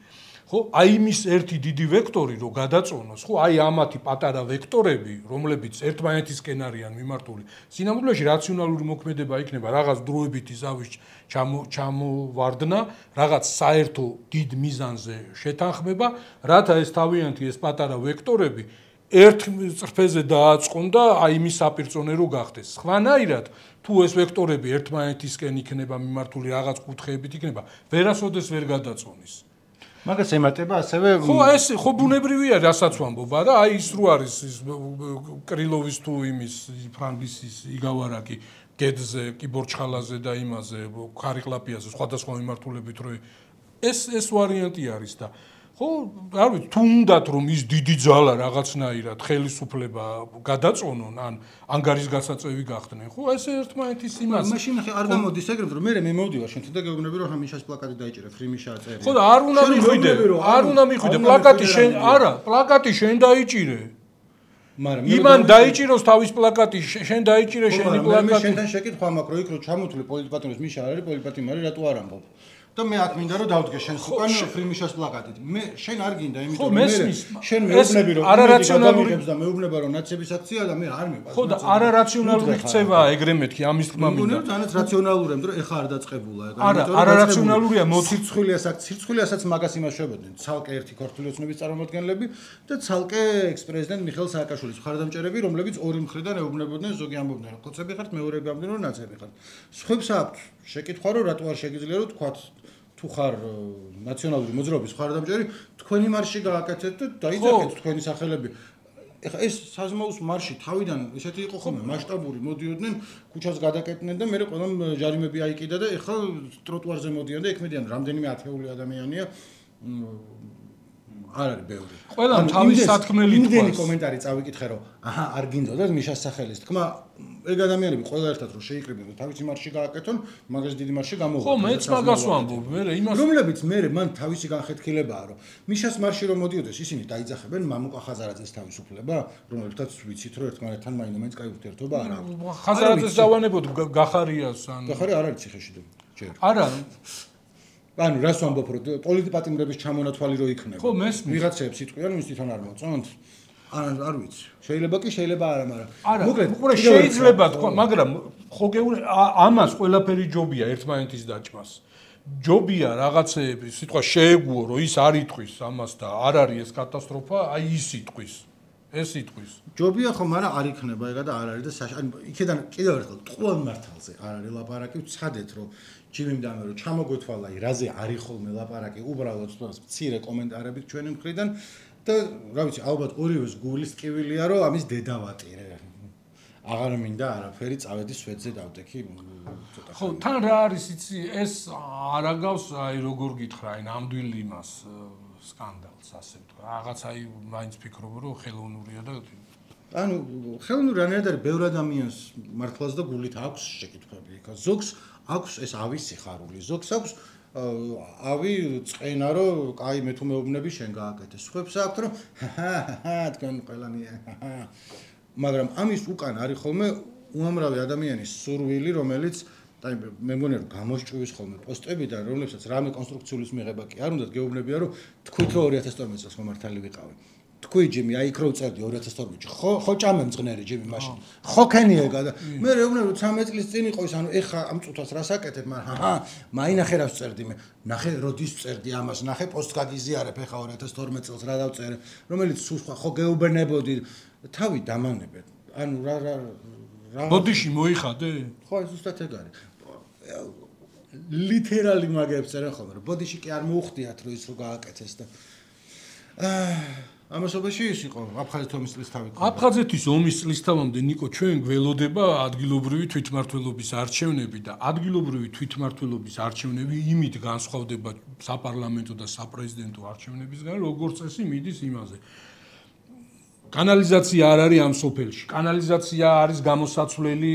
ხო აი იმის ერთი დიდი ვექტორი რო გადაწონოს ხო აი ამათი პატარა ვექტორები რომლებიც ერთმანეთისკენ არიან მიმართული სინამდვილეში რაციონალური მოქმედება იქნება რაღაც დროებითი ზავის ჩამოვარდნა რაღაც საერთო დიდ მიზანზე შეთანხმება რათა ეს თავიანთი ეს პატარა ვექტორები ერთ წრფეზე დააწყონ და აი იმის საპირწონე რო გახდეს სხვანაირად თუ ეს ვექტორები ერთმანეთისკენ იქნება მიმართული რაღაც კუთხეებით იქნება ვერასოდეს ვერ გადაწონის მაგას ემატება ასევე ხო ეს ხო ბუნებრივია რასაც ვამბობ არა აი ის რო არის ის კრილოვის თუ იმის ფრანგის იგავარაკი გედზე კიბორჩხალაზე და იმაზე ხარიყლაპიაზე სხვადასხვა მიმართულებით რო ეს ეს ვარიანტი არის და ხო არ ვიცი თუ უნდათ რომ ის დიდი ძალა რაღაცნაირად ხელისუფლება გადაწონონ ან ანგარის გასაწევი გახდნენ ხო ეს ერთმანეთის იმას მაშინ ხე არ გამოდის ეგრევე რომ მე მე მოვდივარ შენთან და გეუბნები რომ ამიშას პლაკატი დაიჭირე ფრიმიშა წერია ხო და არ უნდა მიხვიდე არ უნდა მიხვიდე პლაკატი შენ არა პლაკატი შენ დაიჭირე მაგრამ იმან დაიჭიროს თავის პლაკატი შენ დაიჭირე შენი პლაკატი მე შენთან შეკითხვა მაქვს რომ იქ რო ჩამოთვლი პოლიტპატრონის მიშა არის პოლიტპატრონი არის რატო არ ამბობ და მე აქ მინდა რომ დავდგე შენს უკან ფრიმიშას პლაკატით. მე შენ არ გინდა, იმიტომ რომ მე შენ მეუბნები რომ არარაციონალური და მეუბნება რომ ნაცების აქცია და მე არ მეყვარს. ხო და არარაციონალური ქცევაა ეგრე მეთქი ამის თქმა მინდა. მეგონი თანაც რაციონალურია, იმიტომ რომ ეხა არ დაწყებულა ეგ. არა, არარაციონალურია მოცირცხვილიასაც, ცირცხვილიასაც მაგას იმას შევებდნენ. ცალკე ერთი ქართული ოცნების წარმომადგენლები და ცალკე ექს-პრეზიდენტ მიხეილ სააკაშვილის მხარდამჭერები, რომლებიც ორი მხრიდან ეუბნებოდნენ, ზოგი ამბობდნენ რომ ხოცები ხართ, მეორეები ამბობდნენ რომ ნაცები ხართ. სხვებს აქვს შეკითხვა რომ რატო არ შეგიძლია რომ თქვათ თუ ხარ ნაციონალური მოძრაობის მხარდამჭერი, თქვენი მარში გააკეთეთ და დაიძახეთ თქვენი სახელები. ეხლა ეს საზმაუს მარში თავიდან ესეთი იყო ხოლმე მასშტაბური მოდიოდნენ ქუჩას გადაკეტნენ და მე ყველამ ჯარიმები აიკიდა და ეხლა ტროტუარზე მოდიან და ექმედიან რამდენიმე ათეული ადამიანია არ არის ბევრი. ყველამ თავის სათქმელი თქვა. იმდენი კომენტარი წავიკითხე რომ აჰა არ გინდოდათ მიშას სახელის თქმა ეგ ადამიანები ყველა ერთად რომ შეიკრიბნენ თავისი მარში გააკეთონ მაგას დიდი მარში გამოვიდა. ხო მეც მაგას ვამბობ მე იმას რომლებიც მე მან თავისი განხეთქილებაა რომ მიშას მარში რომ მოდიოდეს ისინი დაიძახებენ მამუკა ხაზარაძეს თავისუფლება რომლებთაც ვიცით რომ ერთმანეთთან მაინც კაი ურთიერთობა არ აქვს. ხაზარაძეს დავანებოდ გახარიას ან გახარი არ არის ციხეში ჯერ. არა ანუ რას ვამბობ რომ პოლიტპატიმრების ჩამონათვალი რო იქნება. ხო მესმის. ვიღაცებს იტყვიან ის თვითონ არ მოწონთ. არ არ ვიცი. შეიძლება კი შეიძლება არა, მაგრამ მოკლედ შეიძლება თქვა, მაგრამ ხო გეუბნები ამას ყველაფერი ჯობია ერთმანეთის დაჭმას. ჯობია რაღაცეები, სიტყვა შეეგუო რომ ის არ იტყვის ამას და არ არის ეს კატასტროფა, აი ის იტყვის. ეს იტყვის. ჯობია ხო, მაგრამ არ იქნება ეგა და არ არის და ანუ იქიდან კიდევ ერთხელ ტყუილ მართალზე არ არის ლაპარაკი, ვცადეთ რომ ჯიმიმ დამე რომ ჩამოგვეთვალა რაზე არის ხოლმე ლაპარაკი, უბრალოდ მცირე კომენტარებით ჩვენი მხრიდან და რა ვიცი, ალბათ ორივეს გულის ტკივილია რომ ამის დედა ვატირე. აღარ მინდა არაფერი წავედი სვეტზე დავდექი ცოტა. ხო, თან რა არის იცი, ეს არ აგავს აი როგორ გითხრა, აი ნამდვილი იმას სკანდალს ასე ვთქვა. რაღაც აი მაინც ფიქრობ რომ ხელოვნურია და ანუ ხელოვნური რანაირად არის ბევრ ადამიანს მართლაც და გულით აქვს შეკითხვები. იქა ზოგს აქვს ეს ავის სიხარული, ზოგს აქვს ავი წენა რომ კაი მე თუ მეუბნები შენ გააკეთე. სხვებს აქვს რომ ჰაჰა თქვენ ყველანი მაგრამ ამის უკან არის ხოლმე უამრავი ადამიანის სურვილი, რომელიც და მე მგონი რომ გამოსჭვის ხოლმე პოსტებიდან, რომლებსაც რამე კონსტრუქციის მიღება კი არ უნდათ გეუბნებია რომ თქვით რომ ორი ათას თორმეტ წელს მომართალი ვიყავი. თქვი ჯიმი აი იქ რო წერდი ორი ათას თორმეტში ხო ხო ჭამე მძღნერი ჯიმი მაშინ ხო ქენიეგა და მე რეუბნები რომ ცამეტ წლის წინ იყო ის ანუ ეხა ამ წუთას რას აკეთებ მაგრამ ჰა მაინახე რას წერდი მე ნახე როდის წერდი ამას ნახე პოსტს გაგიზიარებ ეხა ორი ათას თორმეტ წელს რა დავწერე რომელიც სულ სხვა ხო გეუბნებოდი თავი დამანებეთ ანუ რა რა რა ბოდიში მოიხადე ხო ეს უბრალოდ ეგ არის ლიტერალი მაგებს წერენ ხოლმე რომ ბოდიში კი არ მოუხდიათ რომ ის რო გააკეთეს და აა ამასობაში ის იყო აფხაზეთის ომის წლისთავი. აფხაზეთის ომის წლისთავამდე ნიკო ჩვენ გველოდება ადგილობრივი თვითმმართველობის არჩევნები და ადგილობრივი თვითმმართველობის არჩევნები იმით განსხვავდება საპარლამენტო და საპრეზიდენტო არჩევნებისგან, როგორც წესი მიდის იმაზე. კანალიზაცია არ არის ამ სოფელში. კანალიზაცია არის გამოსაცვლელი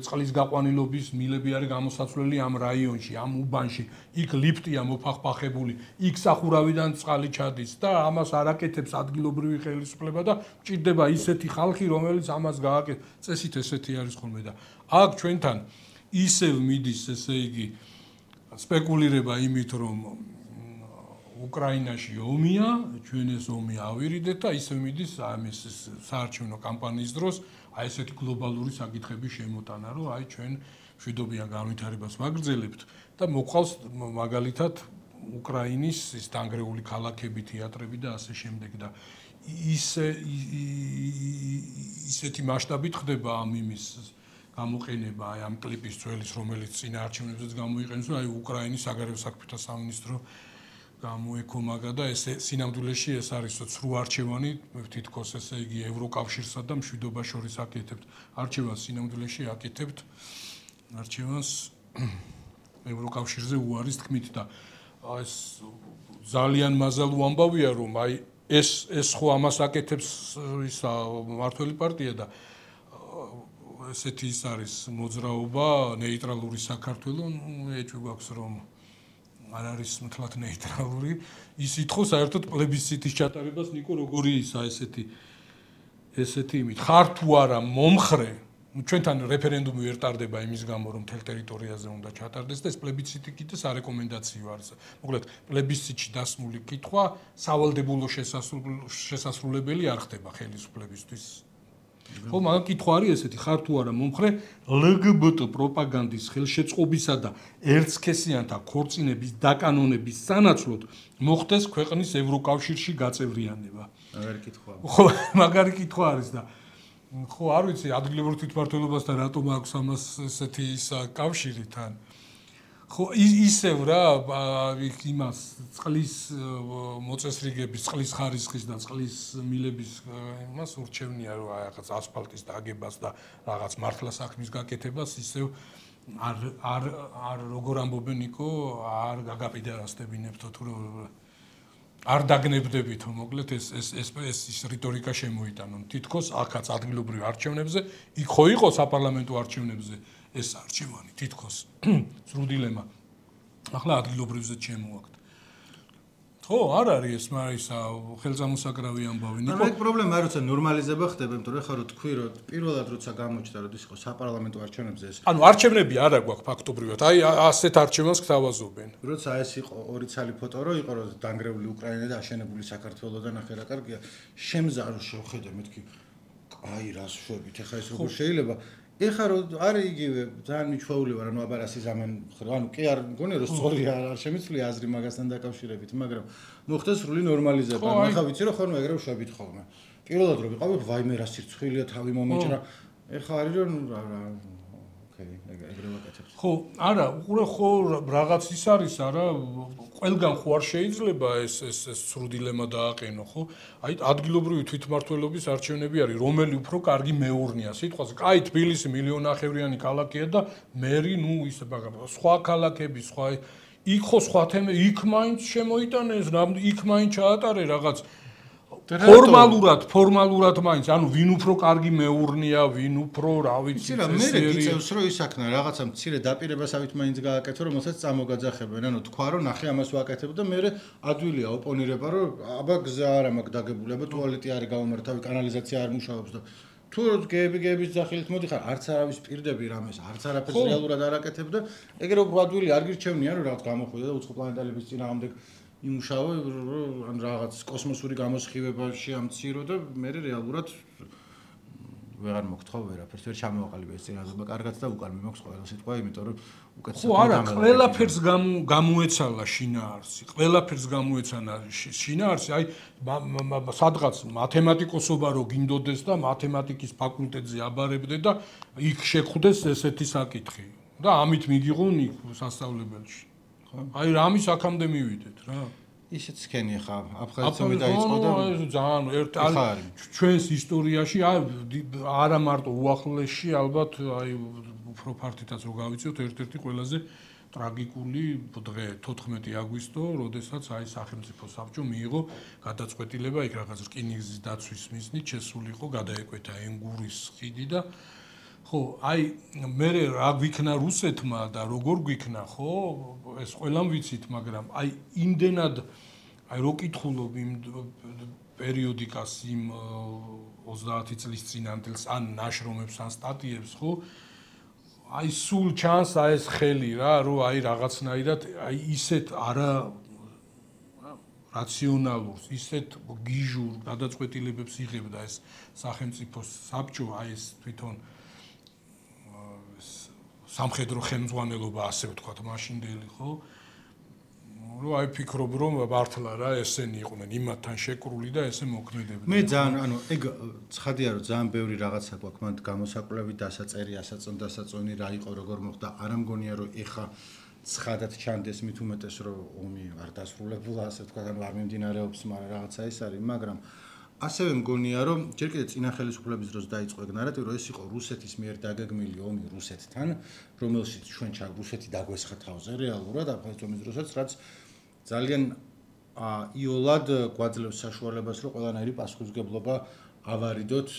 წყლის გაყვანილობის მილები არის გამოსაცვლელი ამ რაიონში, ამ უბანში. იქ ლიფტია მოფახფახებული, იქ სახურავიდან წყალი ჩადის და ამას არ აკეთებს ადგილობრივი ხელისუფლება და მჭირდება ისეთი ხალხი, რომელიც ამას გააკეთებს. წესით ესეთი არის ხოლმე და აქ ჩვენთან ისევ მიდის, ესე იგი, სპეკულირება იმით, რომ უკრაინაში ომია, ჩვენ ეს ომი ავირიდეთ და ისე მიდის ამის საარჩევნო კამპანიის დროს აი ესეთი გლობალური საკითხები შემოტანა, რომ აი ჩვენ მშვიდობიან განვითარებას ვაგრძელებთ და მოყავს მაგალითად უკრაინის ის დანგრეული ქალაქები, თეატრები და ასე შემდეგ და ისე ისეთი მასშტაბით ხდება ამ იმის გამოყენება აი ამ კლიპის ძველის, რომელიც წინა არჩევნებზეც გამოიყენეს, აი უკრაინის საგარეო საქმეთა სამინისტრო გამოეკომაგა და ეს სინამდვილეში ეს არის ცრუ არჩევანი თითქოს ესე იგი ევროკავშირსა და მშვიდობას შორის აკეთებთ არჩევანს სინამდვილეში აკეთებთ არჩევანს ევროკავშირზე უარის თქმით და ეს ძალიან მაზალუ ამბავია რომ აი ეს ეს ხო ამას აკეთებს ისა მართველი პარტია და ესეთი ის არის მოძრაობა ნეიტრალური საქართველო ეჭვი გვაქვს რომ არ არის მთლად ნეიტრალური ის ითხოვ საერთოდ პლებისციტის ჩატარებას ნიკო როგორი ისა ესეთი ესეთი იმით ხარ თუ არა მომხრე ჩვენთან რეფერენდუმი ვერ ტარდება იმის გამო რომ მთელ ტერიტორიაზე უნდა ჩატარდეს და ეს პლებისციტი კიდე სარეკომენდაციო არის მოკლედ პლებისციტში დასმული კითხვა სავალდებულო შესასრულებელი არ ხდება ხელისუფლებისთვის ხო მაგრამ კითხვა არის ესეთი ხარ თუ არა მომხრე ლგბტ პროპაგანდის ხელშეწყობისა და ერთსქესიანთა ქორწინების დაკანონების სანაცვლოდ მოხდეს ქვეყნის ევროკავშირში გაწევრიანება მაგარი კითხვაა ხო მაგარი კითხვა არის და ხო არ ვიცი ადგილობრივ თვითმმართველობასთან რატომ აქვს ამას ესეთი ის კავშირი თან ხო ისევ რა იმას წყლის მოწესრიგების, წყლის ხარისხის და წყლის მილების იმას ურჩევნია რომ რაღაც ასფალტის დაგებას და რაღაც მართლა საქმის გაკეთებას ისევ არ არ არ როგორ ამბობენ იქო არ გაგაპიდარასდებინებთო თუ არ დაგნებდებითო მოკლედ ეს ეს ეს ეს რიტორიკა შემოიტანონ თითქოს აქაც ადგილობრივ არჩევნებზე იქ ხო იყო საპარლამენტო არჩევნებზე ეს არჩევანი თითქოს სრულ დილემა ახლა ადგილობრივზე შემოაქვთ ხო არ არის ეს მარისა ხელსამოსაკრავი ამბავი ნიკო ანუ ეგ პრობლემა არ როცა ნორმალიზება ხდება იმიტომ რომ ხა რო თქვი რომ პირველად როცა გამოჩნდა რომ ის იყო საპარლამენტო არჩევნებზე ეს ანუ არჩევნები არა გვაქვს ფაქტობრივად აი ასეთ არჩევანს გთავაზობენ როცა ეს იყო ორი ცალი ფოტო რო იყო რომ დანგრეული უკრაინა და აშენებული საქართველო და ნახე რა კარგია შემზარო შევხედე მეთქი აი რას შვებით ეხა ეს როგორ შეიძლება ეხა რო არის იგივე ძალიან მიჩვეული ვარ ანუ აბარასი ზამენ ანუ კი არ მგონია რომ სწორი არ შემიცვლია აზრი მაგასთან დაკავშირებით მაგრამ მოხდა სრული ნორმალიზება ანუ ეხა ვიცი რომ ხოლმე ეგრე შვებით ხოლმე პირველად რო ვიყავი ვაიმე რა სირცხვილია თავი მომეჭრა ეხა არის რომ ოკეი ეგრე ვაკეთებ ხო არა უყურე ხო რაღაც ის არის არა ყველგან ხო არ შეიძლება ეს ეს ეს სრულ დილემა დააყენო ხო აი ადგილობრივი თვითმმართველობის არჩევნები არის რომელი უფრო კარგი მეურნეა სიტყვაზე კაი თბილისი მილიონნახევრიანი ქალაქია და მერი ნუ ისე ბაგა სხვა ქალაქები სხვა იქ ხო სხვა თემა იქ მაინც შემოიტანეს იქ მაინც ჩაატარე რაღაც ფორმალურად ფორმალურად მაინც ანუ ვინ უფრო კარგი მეურნეა ვინ უფრო რა ვიცი რა მე გიწევს რომ ისაქნა რაღაცა მცირე დაპირებასავით მაინც გააკეთო რომ მოსაც წამოგაძახებენ ანუ თქვა რომ ნახე ამას ვაკეთებ და მე ადვილია ოპონირება რომ აბა გზა არა მაქვს დაგებული აბა ტუალეტი არის გავამართავი კანალიზაცია არ მუშაობს და თუ გები გების ძახილით მოდიხარ არც არავის პირდები რამეს არც არაფერს რეალურად არ აკეთებ და ეგრე უფრო ადვილია არ გირჩევნია რომ რაღაც გამოხვიდე და უცხო პლანეტალების წინააღმდეგ იმუშავა ან რაღაც კოსმოსური გამოსხივებაში ამცირო და მე რეალურად ვეღარ მოგთხოვ ვერაფერს ვერ ჩამოვაყალიბე ეს წინააღმდება კარგად და უკან მიმოქვს ყველა სიტყვა იმიტომ რომ უკეთესად ხო არა ყველაფერს გამოეცალა შინაარსი ყველაფერს გამოეცანა შინაარსი აი სადღაც მათემატიკოსობა რო გინდოდეს და მათემატიკის ფაკულტეტზე აბარებდე და იქ შეხვდეს ესეთი საკითხი და ამით მიგიღონ იქ სასწავლებელში აი რამის აქამდე მივიდეთ რა ისეც სქენი ხა აფხაზეთში დაიწყო და ძალიან ერთ ჩვენს ისტორიაში არა მარტო უახლესში ალბათ აი უფრო ფართითაც რო გავიწევთ ერთ-ერთი ყველაზე ტრაგიკული დღე თოთხმეტი აგვისტო როდესაც აი სახელმწიფო საბჭო მიიღო გადაწყვეტილება იქ რაღაც რკინიგზის დაცვის მიზნით შესულიყო გადაეკვეთა ენგურის ხიდი და ხო აი მე რა გვიქნა რუსეთმა და როგორ გვიქნა ხო ეს ყველამ ვიცით მაგრამ აი იმდენად აი რო კითხულობ იმ პერიოდიკას იმ ოცდაათი წლის წინანდელს ან ნაშრომებს ან სტატიებს ხო აი სულ ჩანს აი ეს ხელი რა რომ აი რაღაცნაირად აი ისეთ არა რაციონალურს ისეთ გიჟურ გადაწყვეტილებებს იღებდა ეს სახელმწიფო საბჭო აი ეს თვითონ სამხედრო ხელმძღვანელობა ასე ვთქვათ მაშინდელი ხო რომ აი ფიქრობ რომ მართლა რა ესენი იყვნენ იმათთან შეკრული და ესე მოქმედებდნენ მე ძალიან ანუ ეგ ცხადია რომ ძალიან ბევრი რაღაცა გვაქვს მანდ გამოსაკვლევი დასაწერი ასაწონ დასაწონი რა იყო როგორ მოხდა არ ამგონია რომ ეხა ცხადად ჩანდეს მით უმეტეს რომ ომი არ დასრულებულა ასე ვთქვათ ანუ არ მიმდინარეობს მაგრამ რაღაცა ეს არის მაგრამ ასევე მგონია რომ ჯერ კიდევ წინა ხელისუფლების დროს დაიწყო ეგ ნარატივი რომ ეს იყო რუსეთის მიერ დაგეგმილი ომი რუსეთთან რომელშიც ჩვენ ჩა რუსეთი დაგვესხა თავზე რეალურად აფხაზეთის ომის დროსაც რაც ძალიან იოლად გვაძლევს საშუალებას რომ ყველანაირი პასუხისმგებლობა ავარიდოთ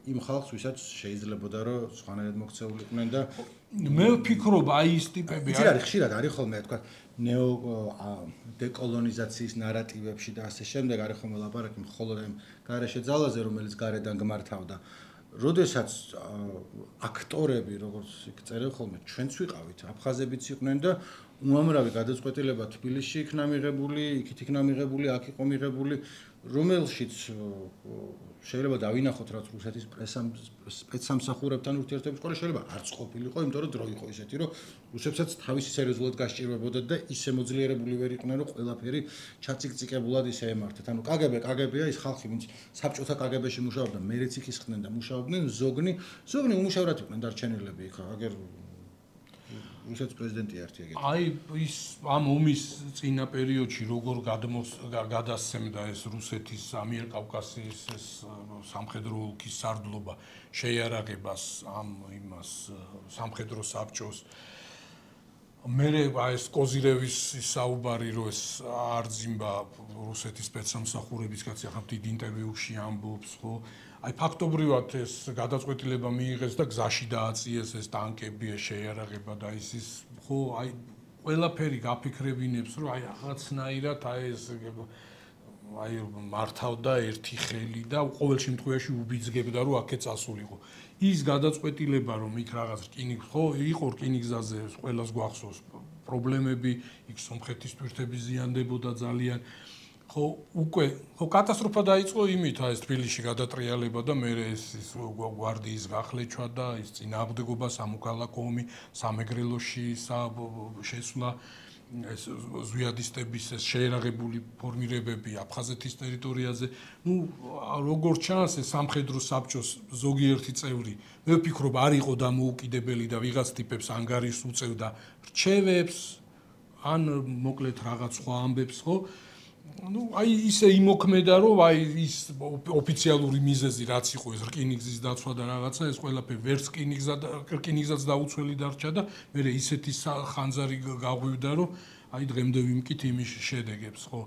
იმ ხალხს ვისაც შეიძლებოდა რომ სხვანაირად მოქცეულიყვნენ და მე ვფიქრობ აი ეს ტიპები არის ხშირად არის ხოლმე თქვა ნეო დეკოლონიზაციის ნარატივებში და ასე შემდეგ არის ხოლმე ლაპარაკი მხოლოდ ამ გარეშე ძალაზე რომელიც გარედან გმართავდა როდესაც აქტორები როგორც იქ წერენ ხოლმე ჩვენც ვიყავით აფხაზებიც იყვნენ და უამრავი გადაწყვეტილება თბილისში იქნა მიღებული იქით იქნა მიღებული აქ იყო მიღებული რომელშიც შეიძლება დავინახოთ რაც რუსეთის პრესამ სპეცსამსახურებთან ურთიერთობის ყოლა შეიძლება არც ყოფილიყო იმიტომ რომ დრო იყო ისეთი რომ რუსებსაც თავისი სერიოზულად გასჭირვებოდათ და ისე მოძლიერებული ვერ იყვნენ რომ ყველაფერი ჩაციკციკებულად ისე ემართათ ანუ კგბ კგბ-ია ის ხალხი ვინც საბჭოთა კგბ-ში მუშაობდა მერეც იქ ისხდნენ და მუშაობდნენ ზოგნი ზოგნი უმუშევრად იყვნენ დარჩენილები იქ აგერ რუსეთის პრეზიდენტი ერთი ეგეთი. აი ის ამ ომის წინა პერიოდში როგორ გადასცემდა ეს რუსეთის ამიერკავკასიის ეს სამხედრო ოლქის სარდლობა შეიარაღებას ამ იმას სამხედრო საბჭოს მე ეს კოზირევის საუბარი რო ეს არძიმბა რუსეთის სპეცსამსახურების კაცი ახლა დიდ ინტერვიუში ამბობს ხო აი ფაქტობრივად ეს გადაწყვეტილება მიიღეს და გზაში დააწიეს ეს ტანკები ეს შეიარაღება და ის ის ხო აი ყველაფერი გაფიქრებინებს რომ აი რაღაცნაირად აი ეს აი მართავდა ერთი ხელი და ყოველ შემთხვევაში უბიძგებდა რომ აქე წასულიყო ის გადაწყვეტილება რომ იქ რაღაც რკინიგ ხო იყო რკინიგზაზე ყველას გვახსოვს პრობლემები იქ სომხეთის თვირთები ზიანდებოდა ძალიან ხო უკვე ხო კატასტროფა დაიწყო იმით აი ეს თბილისში გადატრიალება და მე ეს ის გვარდიის გახლეჩვა და ის წინააღმდეგობა სამოქალაქო ომი სამეგრელოში შესვლა ეს ზვიადისტების ეს შეერაღებული ფორმირებები აფხაზეთის ტერიტორიაზე ну როგორც ჩანს ეს სამხედრო საბჭოს ზოგიერთი წევრი მე ვფიქრობ არ იყო დამოუკიდებელი და ვიღაც ტიპებს ანგარიშს უწევდა რჩევებს ან მოკლედ რაღაც სხვა ამბებს ხო ну აი ისე იმოქმედა რომ აი ის ოფიციალური მიზეზი რაც იყო ეს რკინიგზის დაცვა და რაღაცა ეს ყველაფერი ვერც რკინიგზა და რკინიგზაც დაუცველი დარჩა და მე ისეთი ხანძარი გაღვივდა რომ აი დღემდე ვიმკით იმის შედეგებს ხო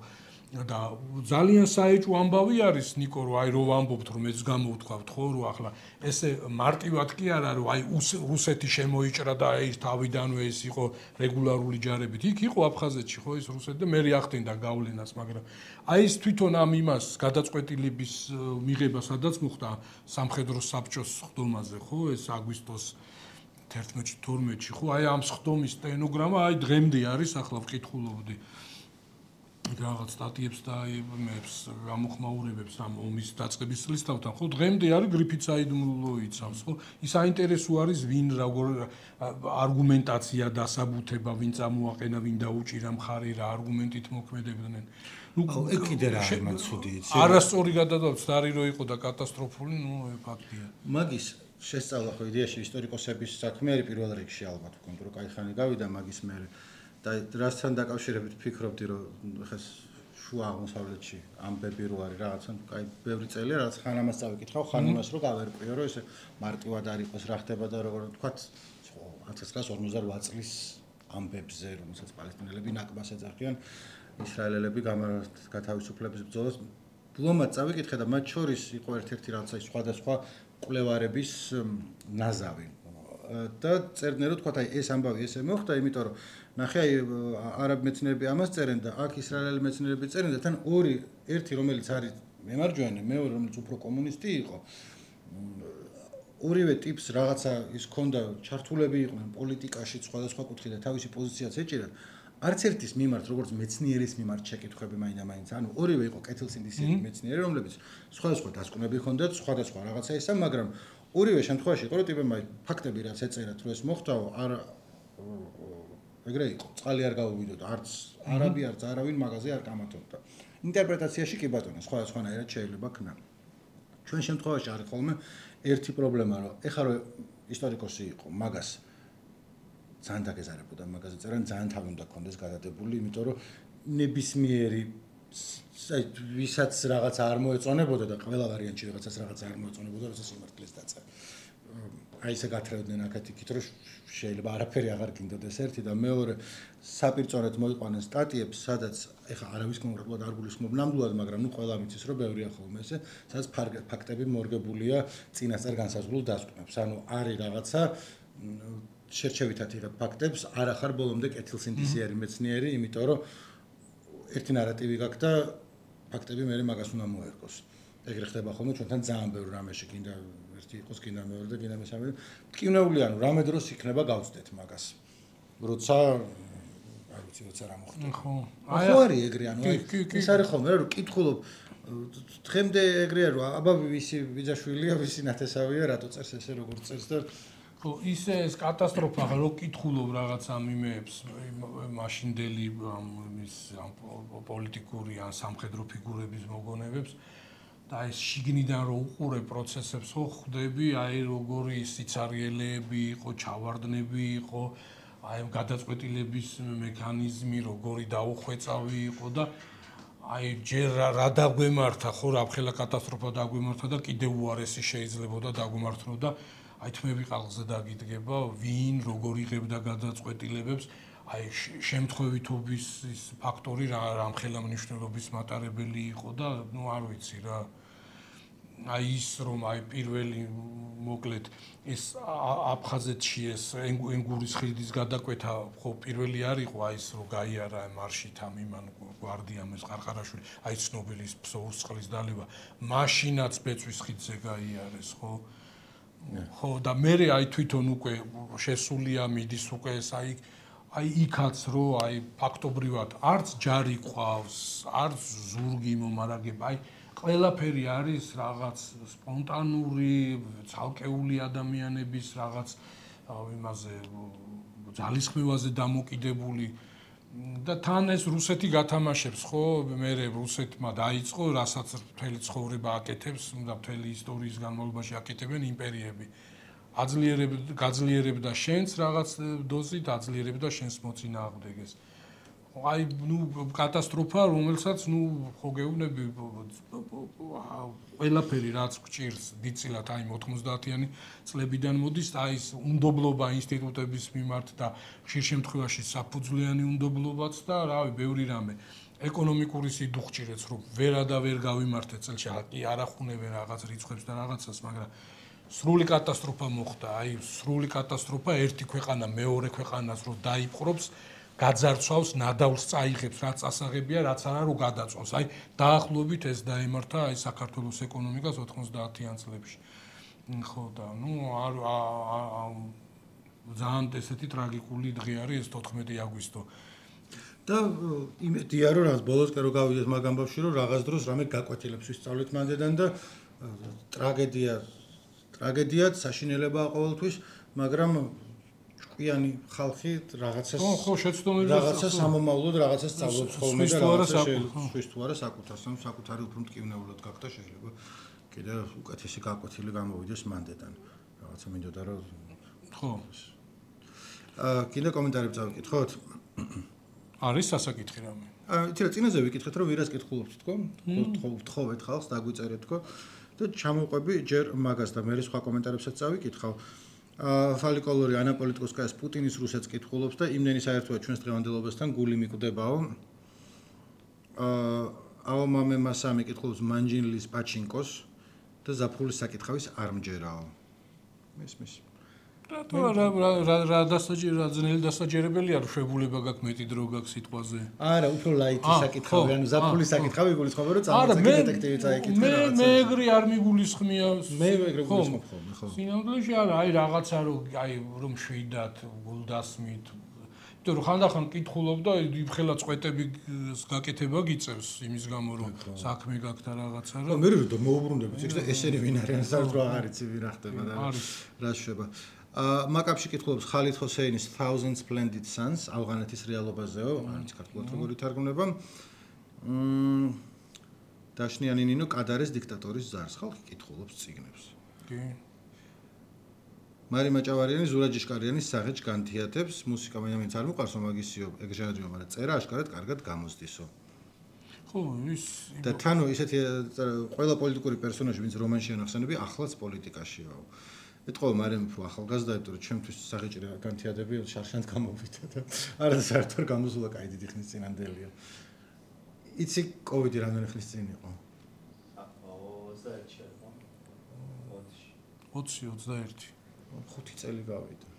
და ძალიან საეჭვო ამბავი არის ნიკო რომ აი რო ვამბობთ რომ ეს გამოვთქვათ ხო რომ ახლა ესე მარტივად კი არა რომ აი რუსეთი შემოიჭრა და აი თავიდანვე ეს იყო რეგულარული ჯარებით იქ იყო აფხაზეთში ხო ეს რუსეთი და მე ახდენდა გავლენას მაგრამ აი ეს თვითონ ამ იმას გადაწყვეტილების მიღება სადაც მოხდა სამხედრო საბჭოს ხდომაზე ხო ეს აგვისტოს თერთმეტში თორმეტში ხო აი ამ ხდომის სტენოგრამა აი დღემდე არის ახლა ვკითხულობდი რაღაც სტატიებს და იმებს გამოხმაურებებს ამ ომის დაწყების წლისთავთან ხო დღემდე არის გრიფიცაიდმულო იცავს ხო ის საინტერესო არის ვინ როგორ არგუმენტაცია დასაბუთება ვინ წამოაყენა ვინ დაუჭირა მხარი რა არგუმენტით მოქმედებდნენ ну ეგ კიდე რა არის მან ცუდი იცი არასწორი გადადავს წარი რო იყო და კატასტროფული ну ფაქტია მაგის შესწავლა ხო იდეაში ისტორიკოსების საქმე არის პირველ რიგში ალბათ ვქონდ რომ кайხანი გავიდა მაგის მე და რასთან დაკავშირებით ფიქრობდი რომ ხა შუა აღმოსავლეთში ამბები რო არის რაღაცა კაი ბევრი წელია რაღაც ხან ამას წავიკითხავ ხან იმას რო გავერკვიო რომ ესე მარტივად არ იყოს რა ხდება და როგორ თქვა ათას ცხრაას ორმოცდაოთხ წლის ამბებზე რომელსაც პალესტინელები ნაკბას ეძახიან ისრაელელები გათავისუფლების ბრძოლას ბლომად წავიკითხე და მათ შორის იყო ერთ-ერთი რაღაცა სხვადასხვა კვლევარების ნაზავი და წერდნენ რომ თქვა აი ეს ამბავი ესე მოხდა იმიტომ რომ ნახე აი არაბ მეცნიერები ამას წერენ და აქ ისრაელელი მეცნიერები წერენ და თან ორი ერთი რომელიც არის მემარჯვენე მეორე რომელიც უფრო კომუნისტი იყო ორივე ტიპს რაღაცა ის ქონდა ჩართულები იყვნენ პოლიტიკაში სხვადასხვა კუთხით და თავისი პოზიციაც ეჭირა არც ერთის მიმართ როგორც მეცნიერის მიმართ შეკითხვები მაინდა-მაინც ანუ ორივე იყო კეთილსინდისიერი მეცნიერი რომლებიც სხვადასხვა დასკვნები ჰქონდათ სხვადასხვა რაღაცა ისა მაგრამ ორივე შემთხვევაში იყო რომ ტიპებმა ფაქტები რაც ეწერათ რომ ეს მოხდაო არ ეგრე იყო წყალი არ გაუვიდოდა არც არაბი არც არავინ მაგაზე არ გამართობდა ინტერპრეტაციაში კი ბატონო სხვადასხვანაირად შეიძლება ქნა ჩვენ შემთხვევაში არის ხოლმე ერთი პრობლემა რომ ეხლა რომ ისტორიკოსი იყო მაგას ძალიან დაგეზარებოდა მაგაზე წერან ძალიან თავი უნდა ქონდეს გადადებული იმიტომ რომ ნებისმიერი აი ვისაც რაღაც არ მოეწონებოდა და ყველა ვარიანტში რაღაცას რაღაც არ მოეწონებოდა როცა სიმართლეს დაწერა აი ესე გათრევდნენ აქეთ-იქით რომ შეიძლება არაფერი აღარ გინდოდეს ერთი და მეორე საპირწონედ მოიყვანენ სტატიებს სადაც ეხა არავის კონკრეტულად არ გულისხმობ ნამდვილად მაგრამ ნუ ყველა მიცის რომ ბევრია ხოლმე ესე სადაც ფაქტები მორგებულია წინასწარ განსაზღვრულ დასკვნებს ანუ არის რაღაცა შერჩევითად იღებ ფაქტებს არ ახარ ბოლომდე კეთილსინდისიერი მეცნიერი იმიტომ რომ ერთი ნარატივი გაქვს და ფაქტები მე მაგას უნდა მოერგოს ეგრე ხდება ხოლმე ჩვენთან ძალიან ბევრ რამეში გინდა ერთი იყოს გინდა მეორე და გინდა მესამე მტკივნეული ანუ რამე დროს იქნება გავწდეთ მაგას როცა არ ვიცი როცა რა მოხდება ხო ხო არის ეგრე ანუ ეს არის ხოლმე რომ კითხულობ დღემდე ეგრეა რომ აბა ვისი ვიძაშვილია ვისი ნათესავია რატო წერს ესე როგორ წერს და ხო ისე ეს კატასტროფა რო კითხულობ რაღაც ამ იმეებს მაშინდელი ის პოლიტიკური ან სამხედრო ფიგურების მოგონებებს და ეს შიგნიდან რო უყურე პროცესებს ხო ხვდები აი როგორი სიცარიელეები იყო ჩავარდნები იყო აი ამ გადაწყვეტილების მექანიზმი როგორი დაუხვეწავი იყო და აი ჯერ რა დაგვემართა ხო რა ხელა კატასტროფა დაგვემართა და კიდევ უარესი შეიძლებოდა დაგვემართო და აი თმები ყალზე დაგიდგება ვინ როგორ იღებდა გადაწყვეტილებებს აი შემთხვევითობის ის ფაქტორი რა რამხელა მნიშვნელობის მატარებელი იყო და ნუ არ ვიცი რა აი ის რომ აი პირველი მოკლედ ეს აფხაზეთში ეს ენგურის ხიდის გადაკვეთა ხო პირველი არ იყო აი ეს რომ გაიარა მარშით ამ იმან გვარდიამ ეს ყარყარაშვილი აი ცნობილის ფსოურსწყლის დალევა მაშინაც ბეწვის ხიდზე გაიარეს ხო ხო და მე აი თვითონ უკვე შესულია მიდის უკვე ეს აი აი იქაც რო აი ფაქტობრივად არც ჯარი ყავს არც ზურგი მომარაგება აი ყველაფერი არის რაღაც სპონტანური ცალკეული ადამიანების რაღაც იმაზე ძალისხმევაზე დამოკიდებული და თან ეს რუსეთი გათამაშებს ხო მე რუსეთმა დაიწყო რასაც მთელი ცხოვრება აკეთებს და მთელი ისტორიის განმავლობაში აკეთებენ იმპერიები აძლიერებდა გაძლიერებდა შენს რაღაც დოზით აძლიერებდა შენს მოწინააღმდეგეს აი ნუ კატასტროფა რომელსაც ნუ ხო გეუბნები ყველაფერი რაც გჭირს დიწილად აი ოთხმოცდაათიანი წლებიდან მოდის აი ეს უნდობლობა ინსტიტუტების მიმართ და ხშირ შემთხვევაში საფუძვლიანი უნდობლობაც და რავი ბევრი რამე ეკონომიკური სიდუხჭირეც რომ ვერა და ვერ გავიმართეთ წელში კი არახუნებენ რაღაც რიცხვებს და რაღაცას მაგრამ სრული კატასტროფა მოხდა აი სრული კატასტროფა ერთი ქვეყანა მეორე ქვეყანას რო დაიპყრობს გაძარცვავს ნადავლს წაიღებს რაც ასაღებია რაც არა რო გადაწვავს აი დაახლოებით ეს დაემართა აი საქართველოს ეკონომიკას ოთხმოცდაათიან წლებში ხო და ნუ არ ძალიან ესეთი ტრაგიკული დღე არის ეს თოთხმეტი აგვისტო და იმედია რომ რაღაც ბოლოს კი რო გავიდეს მაგ ამბავში რომ რაღაც დროს რამე გაკვეთილებს ვისწავლეთ მანდედან და ტრაგედია ტრაგედიად საშინელებაა ყოველთვის მაგრამ ჭკვიანი ხალხი რაღაცას ხო ხო შეცდომებს რაღაცას ამომავლოდ რაღაცას სწავლობს ხოლმე და რაღაცას შეშვის თუ არა საკუთარს ან საკუთარი უფრო მტკივნეულად გახდა შეიძლება კიდე უკეთესი გაკვეთილი გამოვიდეს მანდედან რაღაცა მინდოდა რომ ხო აა კიდე კომენტარები წავიკითხოთ არის სასაკითხი რამე აა იცით წინაზე ვიკითხეთ რომ ვირას კითხულობთ თქო ვთხოვეთ ხალხს დაგვიწერეთ თქო და ჩამოვყვები ჯერ მაგას და მე სხვა კომენტარებსაც წავიკითხავ ფალიკოლორი ანა პოლიტიკოსკაიას პუტინის რუსეთს კითხულობს და იმდენი საერთოა ჩვენს დღევანდელობასთან გული მიკვდებაო. აო მამე მასამი კითხულობს მანჯინლის პაჩინკოს და ზაფხულის საკითხავის არ მჯერაო. მისმის. რატო რა რა დასაჯი რა ძნელი დასაჯერებელი არ შვებულება გაქვს მეტი დრო გაქვს სიტყვაზე. არა, უფრო ლაითი საკითხავი, ანუ ზაფხულის საკითხავი გულისხმობ რომ წამოწე დეტექტივი წაიკითხე რაღაცა. მე მე ეგრე არ მიგულისხმია. მე ეგრე გულისხმობ ხოლმე, ხო. სინამდვილეში არა, აი რაღაცა რომ აი რომ შვიდათ გულდასმით. იმიტომ რომ ხანდახან კითხულობ და იმხელა წვეტები გაკეთება გიწევს იმის გამო რომ საქმე გაქვს და რაღაცა რა. მე რო მოუბრუნდებით, ეს და ესენი ვინ არიან, საერთოდ არ იცი ვინ რა ხდება და რა შვება. მაკაპში კითხულობს ხალიდ ჰოსეინის Thousand Splendid Suns ავღანეთის რეალობაზეო, არც ქართულად როგორ ითარგმნება. მმ დაშნიანი ნინო კადარეს დიქტატორის ზარს ხალხი კითხულობს წიგნებს. კი. მარი მაჭავარიანი ზურა ჯიშკარიანის საღეჯ განთიათებს, მუსიკა მაინც არ მოყარს, მაგისიო ეგჟანრიო, მაგრამ წერა აშკარად კარგად გამოსდისო. ხო, ის და თანო ისეთი ყველა პოლიტიკური პერსონაჟი, ვინც რომანში ანახსენები, ახლაც პოლიტიკაშიაო. ეთქო მარემ უფრო ახალგაზრდა იმიტომ რომ ჩემთვის საღეჭი განთიადები შარშანთ გამოვიდა და არა საერთოდ გამოსულა კაი დიდი ხნის წინანდელია. იცი კოვიდი რამდენი ხნის წინ იყო? ოცი ოცდაერთი ხუთი წელი გავიდა.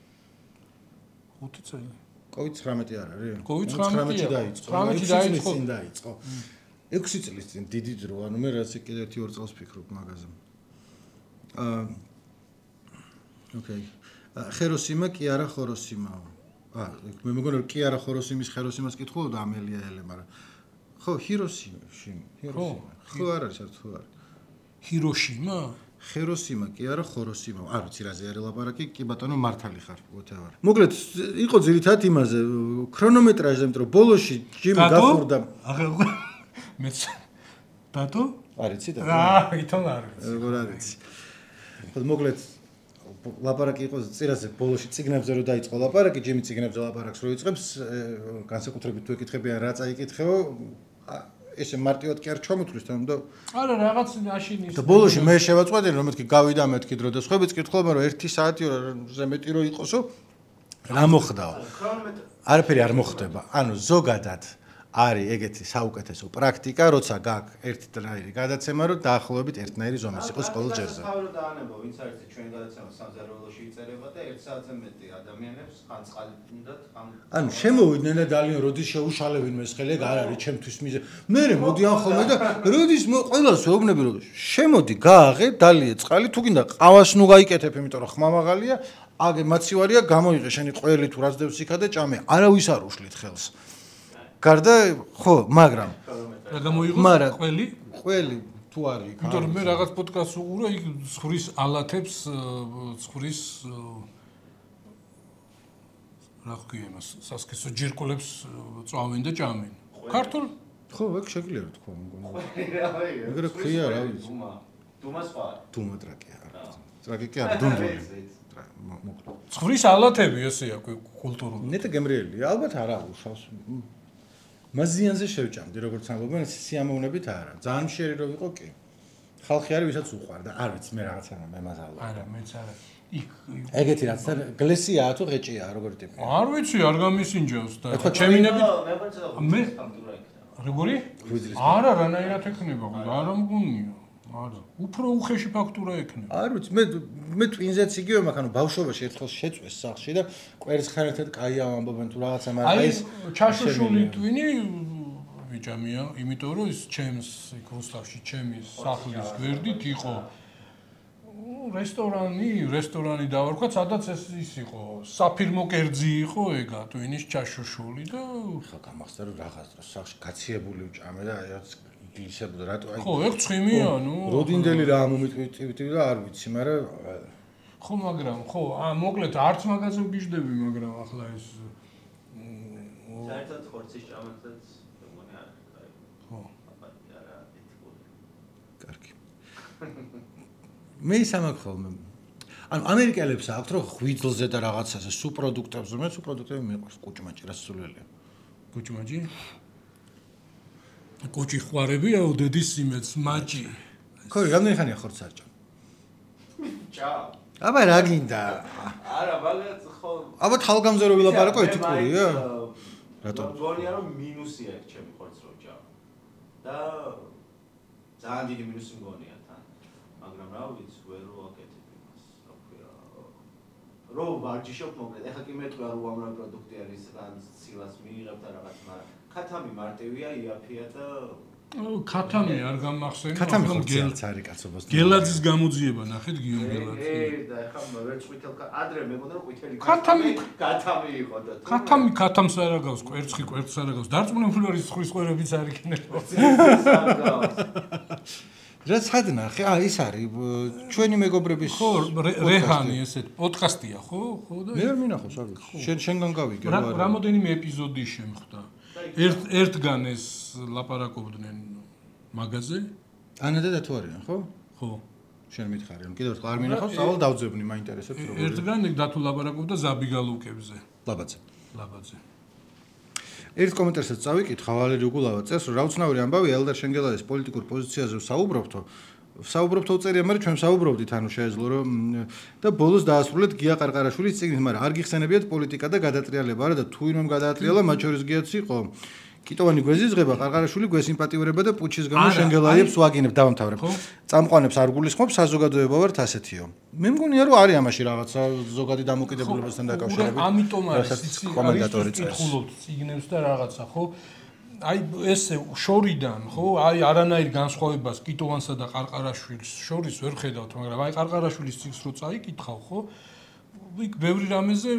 ხუთი წელი. კოვიდ ცხრამეტი არ არის? კოვიდ ცხრამეტი დაიწყო. ცხრამეტი დაიწყო. დაიწყო. ექვსი წლის წინ დიდი დრო, ანუ მე რაც კიდე ერთი ორ წელს ვფიქრობ მაგაზე. აა ოკეი. ხეროსიმა კი არა ხოროსიმაო. აა მე მგონი რომ კი არა ხოროსიმის ხეროსიმას კითხულობდა ამელია ელე, მაგრამ ხო, ჰიროსიმა, ჰიროსიმა. ხო არ არის საერთოდ ხო არის. ჰიროშიმა? ხეროსიმა კი არა ხოროსიმა. არ ვიცი რა ზე არის ლაპარაკი, კი ბატონო მართალი ხარ, whatever. მოკლედ იყო ძირითადად იმაზე ქრონომეტრაჟზე, იმიტომ რომ ბოლოში ჯიმ გახურდა. აღარ მეც დატო? არ იცი და? აა, ითომ არ ვიცი. როგორ არ იცი. ხო მოკლედ ლაპარაკი იყო წირაზე ბოლოში ციგნებზე რო დაიწყო ლაპარაკი, ჯიმი ციგნებზე ლაპარაკს რო იწყებს, განსაკუთრებით თუ ეკითხებიან რა წაიკითხეო, ესე მარტივად კი არ ჩამოთვლის თან და არა რაღაც აშინის და ბოლოში მე შევაწყვეტინე რომ მეთქი გავიდა მეთქი დრო და სხვაებიც კითხულობენ რომ ერთი საათი ზე მეტი რო იყოსო რა მოხდაო არაფერი არ მოხდება ანუ ზოგადად არის ეგეთი საუკეთესო პრაქტიკა როცა გაქვს ერთნაირი გადაცემა რომ დაახლოებით ერთნაირი ზომის იყოს ყოველ ჯერზე ახლა რომ დაანებო ვინც არის ჩვენ გადაცემა სამზარეულოში იწერება და ერთ საათზე მეტი ადამიანებს ხან წყალი უნდათ ხან ანუ შემოვიდნენ და ძალიან როდის შეუშალევინ მესხელი ეგ არ არის ჩემთვის მიზე მე მოდიან ხოლმე და როდის ყველას ვეუბნები რომ შემოდი გააღე დალიე წყალი თუ გინდა ყავას ნუ გაიკეთებ იმიტომ რომ ხმა მაღალია აგე მაცივარია გამოიღე შენი ყველი თუ რაც დევს იქა და ճამე არავის არ უშლით ხელს გარდა ხო მაგრამ რა გამოიღო ყველი ყველი თუ არის იქ იმიტომ რომ მე რაღაც პოდკასტს უყურე იქ ცხრის ალათებს ცხრის რა ქვია იმას სასქესო ჯირკვლებს წავენ და ჭამენ ქართულ ხო ეგ შეგვიძლია თქვა მგონი ეგრე ქვია რა ვიცი დუმა დუმა სხვა დუმა ტრაკია ტრაკი კი არა დუნდუნი ცხრის ალათები ესეა კულტურული ნეტა გემრიელია ალბათ არა უშავს მაზიანზე შევჭამდი როგორც ამბობენ სიამოვნებით არა ძალიან მშერი რო ვიყო კი ხალხი არის ვისაც უყვარდა არ ვიცი მე რაღაცა მე მაზალო არა მეც არა იქ ეგეთი რაც გლესიაა თუ ღეჭია როგორი ტიპი არ ვიცი არ გამისინჯავს და ჩემინები მე როგორი არა რანაირად ექნება არა მგონია არა უფრო უხეში ფაქტურა ექნება არ ვიცი მე მე ტვინზეც იგივე მაგ ანუ ბავშვობაში ერთხელ შეწვეს სახლში და კვერცხ ხარეთად კაია ამბობენ თუ რაღაცა მაგრამ აი ჩაშოშული ტვინი ვიჭამია იმიტომ რომ ის ჩემს იქ რუსთავში ჩემი სახლის გვერდით იყო რესტორანი რესტორანი დავარქვა სადაც ეს ის იყო საფირმო კერძი იყო ეგა ტვინის ჩაშოშული და ხა გამახსდა რომ რაღაც დროს სახლში გაციებული ვჭამე და აი ისებდა რატო აი ხო ეგ ცხიმია ნუ როდინდელი რა მომიტვიტივი და არ ვიცი მაგრამ ხო მაგრამ ხო ა მოკლედ არც მაგაზე ვგიჟდები მაგრამ ახლა ეს საერთოდ ხორცის ჭამათაც მეგონი არ არის ხო არა ეთიკური კარგი მე ისამაკ ხოლმე ანუ ამერიკელებს აქვთ რომ ღვიძლზე და რაღაცაზე სუპროდუქტებზე მე სუპროდუქტები მიყვარს კუჭმაჭი რა სულელია კუჭმაჭი კუჭი ხوارებია ოდედის იმეც მაჭი ხო რამდენი ხანია ხორცს არ ჭამ ჭა აბა რა გინდა არა ბალეთ ხო აბა თალგამზე რო ვილაპარაკო ეთიკურია რატო მგონია რომ მინუსია ეგ ჩემი ხორცს რო ჭამ და ძალიან დიდი მინუსი მგონია თან მაგრამ რა ვიცი ვერ ვაკეთებ იმას რა ქვია რო ვარჯიშობ მოკლედ ეხლა კი მეტყვია რომ უამრავი პროდუქტი არის რან ცილას მიიღებ და რაღაც მაგრამ ქათამი მარტივია იაფია და ქათამი არ გამახსენე ქათამი ხორცს არის კაცობას გელაძის გამოძიება ნახეთ გიო გელაძი ე და ეხლა ვერ წვითელ ადრე მეგონა რომ ყვითელი ქათამი ქათამი იყო და ქათამი ქათამს არ აგავს კვერცხი კვერცხს არ აგავს დარწმუნებული არის ცხრის ყვერებიც არ იქნება რა ცადნახე ა ის არის ჩვენი მეგობრების ხო რეჰანი ესეთ პოდკასტია ხო ხო და მე არ მინახავს არ ვიცი შენ შენგან გავიგე რა რამოდენიმე ეპიზოდი შემხდა ერთ ერთგან ეს ლაპარაკობდნენ მაგაზე ანა და თუ არიან ხო ხო შენ მითხარი რომ კიდევ ერთხელ არ მინახავს სავალ დავძებნი მაინტერესებს როგორ ერთგან დათუ ლაპარაკობდა ზაბიგალუკებზე ლაბაძე ლაბაძე ერთ კომენტარსაც წავიკითხა ვალერი უგულავა წერს რომ რაუცნაური ამბავია ელდარ შენგელაძის პოლიტიკურ პოზიციაზე საუბრობთო საუბრობთო უწერია მაგრამ ჩვენ საუბრობდით ანუ შეეძლო რომ და ბოლოს დაასრულეთ გია ყარყარაშვილის წიგნით მაგრამ არ გიხსენებიათ პოლიტიკა და გადატრიალება არა და თუ ვინმემ გადაატრიალა მათ შორის გიაც იყო კიტოვანი გვეზიზღება ყარყარაშვილი გვესიმპატიურება და პუჩის გამო შენგელაიებს ვაგინებ დავამთავრებ წამყვანებს არ გულისხმობ საზოგადოება ვართ ასეთიო მე მგონია რომ არის ამაში რაღაცა ზოგადი დამოკიდებულებასთან დაკავშირებით ამიტომ არის კომენტატორი წერს კითხულობთ წიგნებს და რაღაცა ხო აი ესე შორიდან ხო აი არანაირ განსხვავებას კიტოვანსა და ყარყარაშვილის შორის ვერ ხედავთ მაგრამ აი ყარყარაშვილის წიგნს რო წაიკითხავ ხო იქ ბევრი რამეზე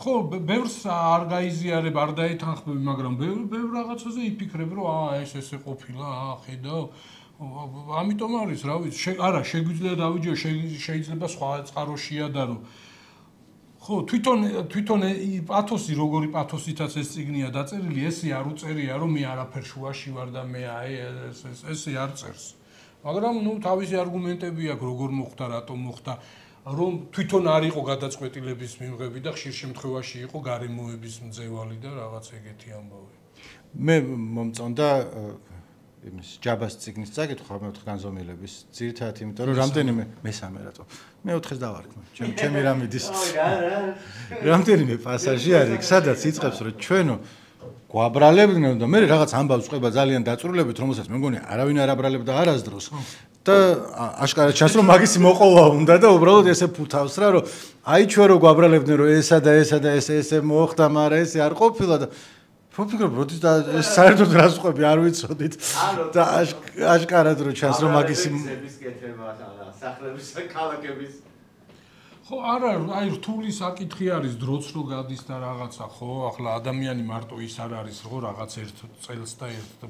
ხო ბევრს არ გაიზიარებ არ დაეთანხმები მაგრამ ბევრ ბევრ რაღაცაზე იფიქრებ რომ აა ეს ესე ყოფილა აა ხედავ ამიტომ არის რა ვიცი არა შეგვიძლია დავიჯერო შეიძლება სხვა წყაროშია და რომ ხო თვითონ თვითონ პათოსი როგორი პათოსითაც ეს წიგნია დაწერილი ესე არ უწერია რომ მე არაფერ შუაში ვარ და მე აი ეს ესე არ წერს მაგრამ ნუ თავისი არგუმენტები აქვს როგორ მოხდა რატომ მოხდა რომ თვითონ არ იყო გადაწყვეტილების მიღები და ხშირ შემთხვევაში იყო გარემოების მძევალი და რაღაც ეგეთი ამბავი. მე მომწონდა იმის ჯაბას ციგნის წაკითხვა მეოთხე განზომილების ძირითადად იმიტომ რომ რამდენიმე მესამე რატო მეოთხეს დავარქმე ჩემ ჩემი რამიდის რამდენიმე პასაჟი არის სადაც იწყებს რომ ჩვენო გვაბრალებდნენ და მე რაღაც ამბავს ყვება ძალიან დაწურულებით რომელსაც მე მგონი არავინ არ აბრალებდა არასდროს და აშკარად ჩანს რომ მაგისი მოყოლა უნდა და უბრალოდ ესე ფუთავს რა რომ აი ჩვენ რო გვაბრალებდნენ რომ ესა და ესა და ესე ესე მოხდა მაგრამ ესე არ ყოფილა და ფიქრობ როდის და საერთოდ რას ყვები არ ვიცოდით და აშკარად რო ჩანს რომ მაგისი სახლების ქალაქების ხო არა აი რთული საკითხი არის დროც რო გადის და რაღაცა ხო ახლა ადამიანი მარტო ის არ არის ხო რაღაც ერთ წელს და ერთ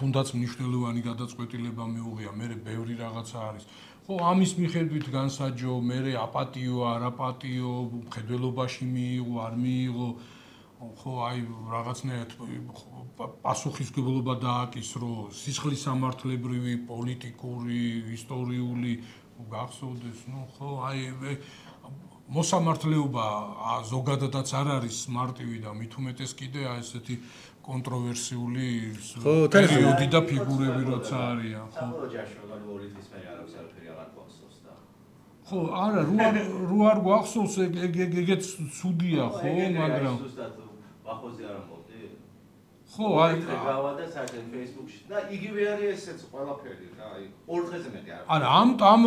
თუნდაც მნიშვნელოვანი გადაწყვეტილება მეუღია მე ბევრი რაღაცა არის ხო ამის მიხედვით განსაჯო მე აპატიო არაპატიო მხედველობაში მიიღო არ მიიღო ხო აი რაღაცნაირად პასუხისმგებლობა დააკისრო სისხლის სამართლებრივი პოლიტიკური ისტორიული გახსოვდეს ნუ ხო აი მოსამართლეობა ზოგადადაც არ არის მარტივი და მით უმეტეს კიდე აი ესეთი კონტროვერსიული პერიოდი და ფიგურები როცა არიან ხო ხო არა რო არ გვახსოვს ეგეც ცუდია ხო მაგრამ ახოზე არ ამბობდი? ხო, აი გავადა საერთოდ Facebook-ში და იგივე არის ესეც ყველაფერი რა, აი ორ დღეზე მეტი არ. არა, ამ ამ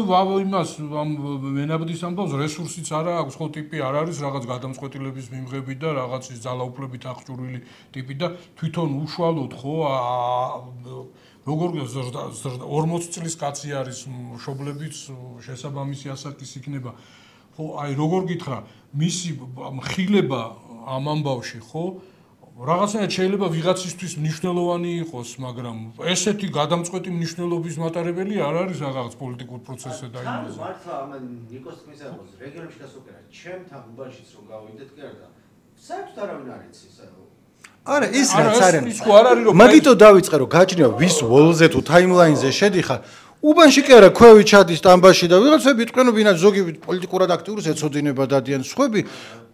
იმას ამ მენაბდის ამბავს რესურსიც არა აქვს, ხო ტიპი არ არის რაღაც გადამწყვეტილების მიმღები და რაღაცის ძალაუფლებით აღჭურვილი ტიპი და თვითონ უშუალოდ ხო როგორ ორმოც წლის კაცი არის მშობლებიც შესაბამისი ასაკის იქნება. ხო, აი როგორ გითხრა, მისი მხილება ამ ამბავში ხო რაღაცნაირად შეიძლება ვიღაცისთვის მნიშვნელოვანი იყოს, მაგრამ ესეთი გადამწყვეტი მნიშვნელობის მატარებელი არ არის რაღაც პოლიტიკურ პროცესზე და იმაზე. მართლა ამ ნიკოს თქმის ამბავს, რეგიონებში და სოკერა, ჩემთან უბანშიც რომ გავიდეთ კერდა. საერთოდ არავინ არ იცის, ანუ არა, ის რაც არის. მაგითო დავიწყე რომ გაჭრია ვის ვოლზე თუ ტაიმლაინზე შედიხარ. უბანში კი არა, ქვევი ჩადის სტამბაში და ვიღაცები იტყვენ, ვინაც ზოგი პოლიტიკურად აქტიურს ეცოდინება დადიან სხვები,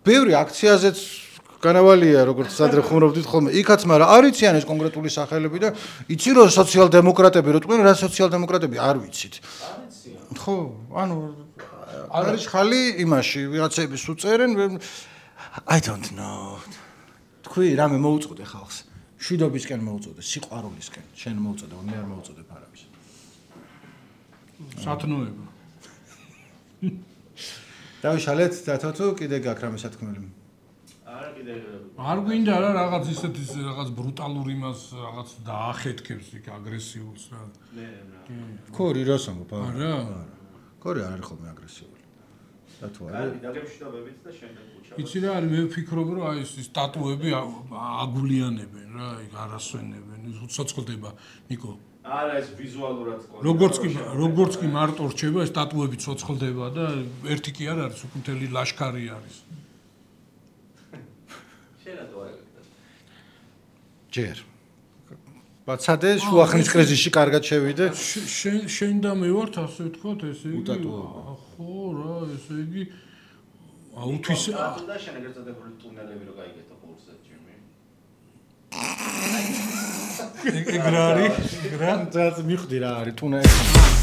ბევრი აქციაზეც განავალია, როგორც სადრე ხუმრობდით ხოლმე. იქაც, მაგრამ არ იციან ეს კონკრეტული სახელები და იცი რომ სოციალ-დემოკრატები რო ტყვენ, რა სოციალ-დემოკრატები არ ვიცით. არ იციან. ხო, ანუ არის ხალი იმაში, ვიღაცები უწერენ, I don't know. თქვი რამე მოუწოდე ხალხს. შვიდობისკენ მოუწოდე, სიყვარულისკენ, შენ მოუწოდე, მე არ მოუწოდებ არავის. სათნოება. დავიშალეთ დათო თუ კიდე გაქვს რამე სათქმელი? არა კიდე არ გვინდა რა რაღაც ისეთი რაღაც ბრუტალური იმას რაღაც დაახეთქებს იქ აგრესიულს რა. მე ქორი რას ამბობ? არა. ქორი არ არის ხოლმე აგრესიული. დათო არა. კარგი, დაგემშვიდობებით და შემდეგ უჩავ. იცი რა არის, მე ვფიქრობ რომ აი ეს სტატუები აგულიანებენ რა, იქ არასვენებენ, უცოცხლდება ნიკო. არა ეს ვიზუალურად ყოლი. როგორც კი როგორც კი მარტო რჩება, ეს სტატუები ცოცხლდება და ერთი კი არ არის, უკვე მთელი ლაშქარი არის. ჯერ. ბაცადე შუახნის კრიზისში კარგად შევიდე. შენ შენ და მე ვართ ასე ვთქვათ, ესე იგი. ხო რა, ესე იგი აუთვისე. და შენ ეგრეთ წოდებული ტუნელები რო გაიგეთო ხურზე ჯიმი. ეგ რა არის? ეგ რა? ძალიან მიხვდი რა არის ტუნელი.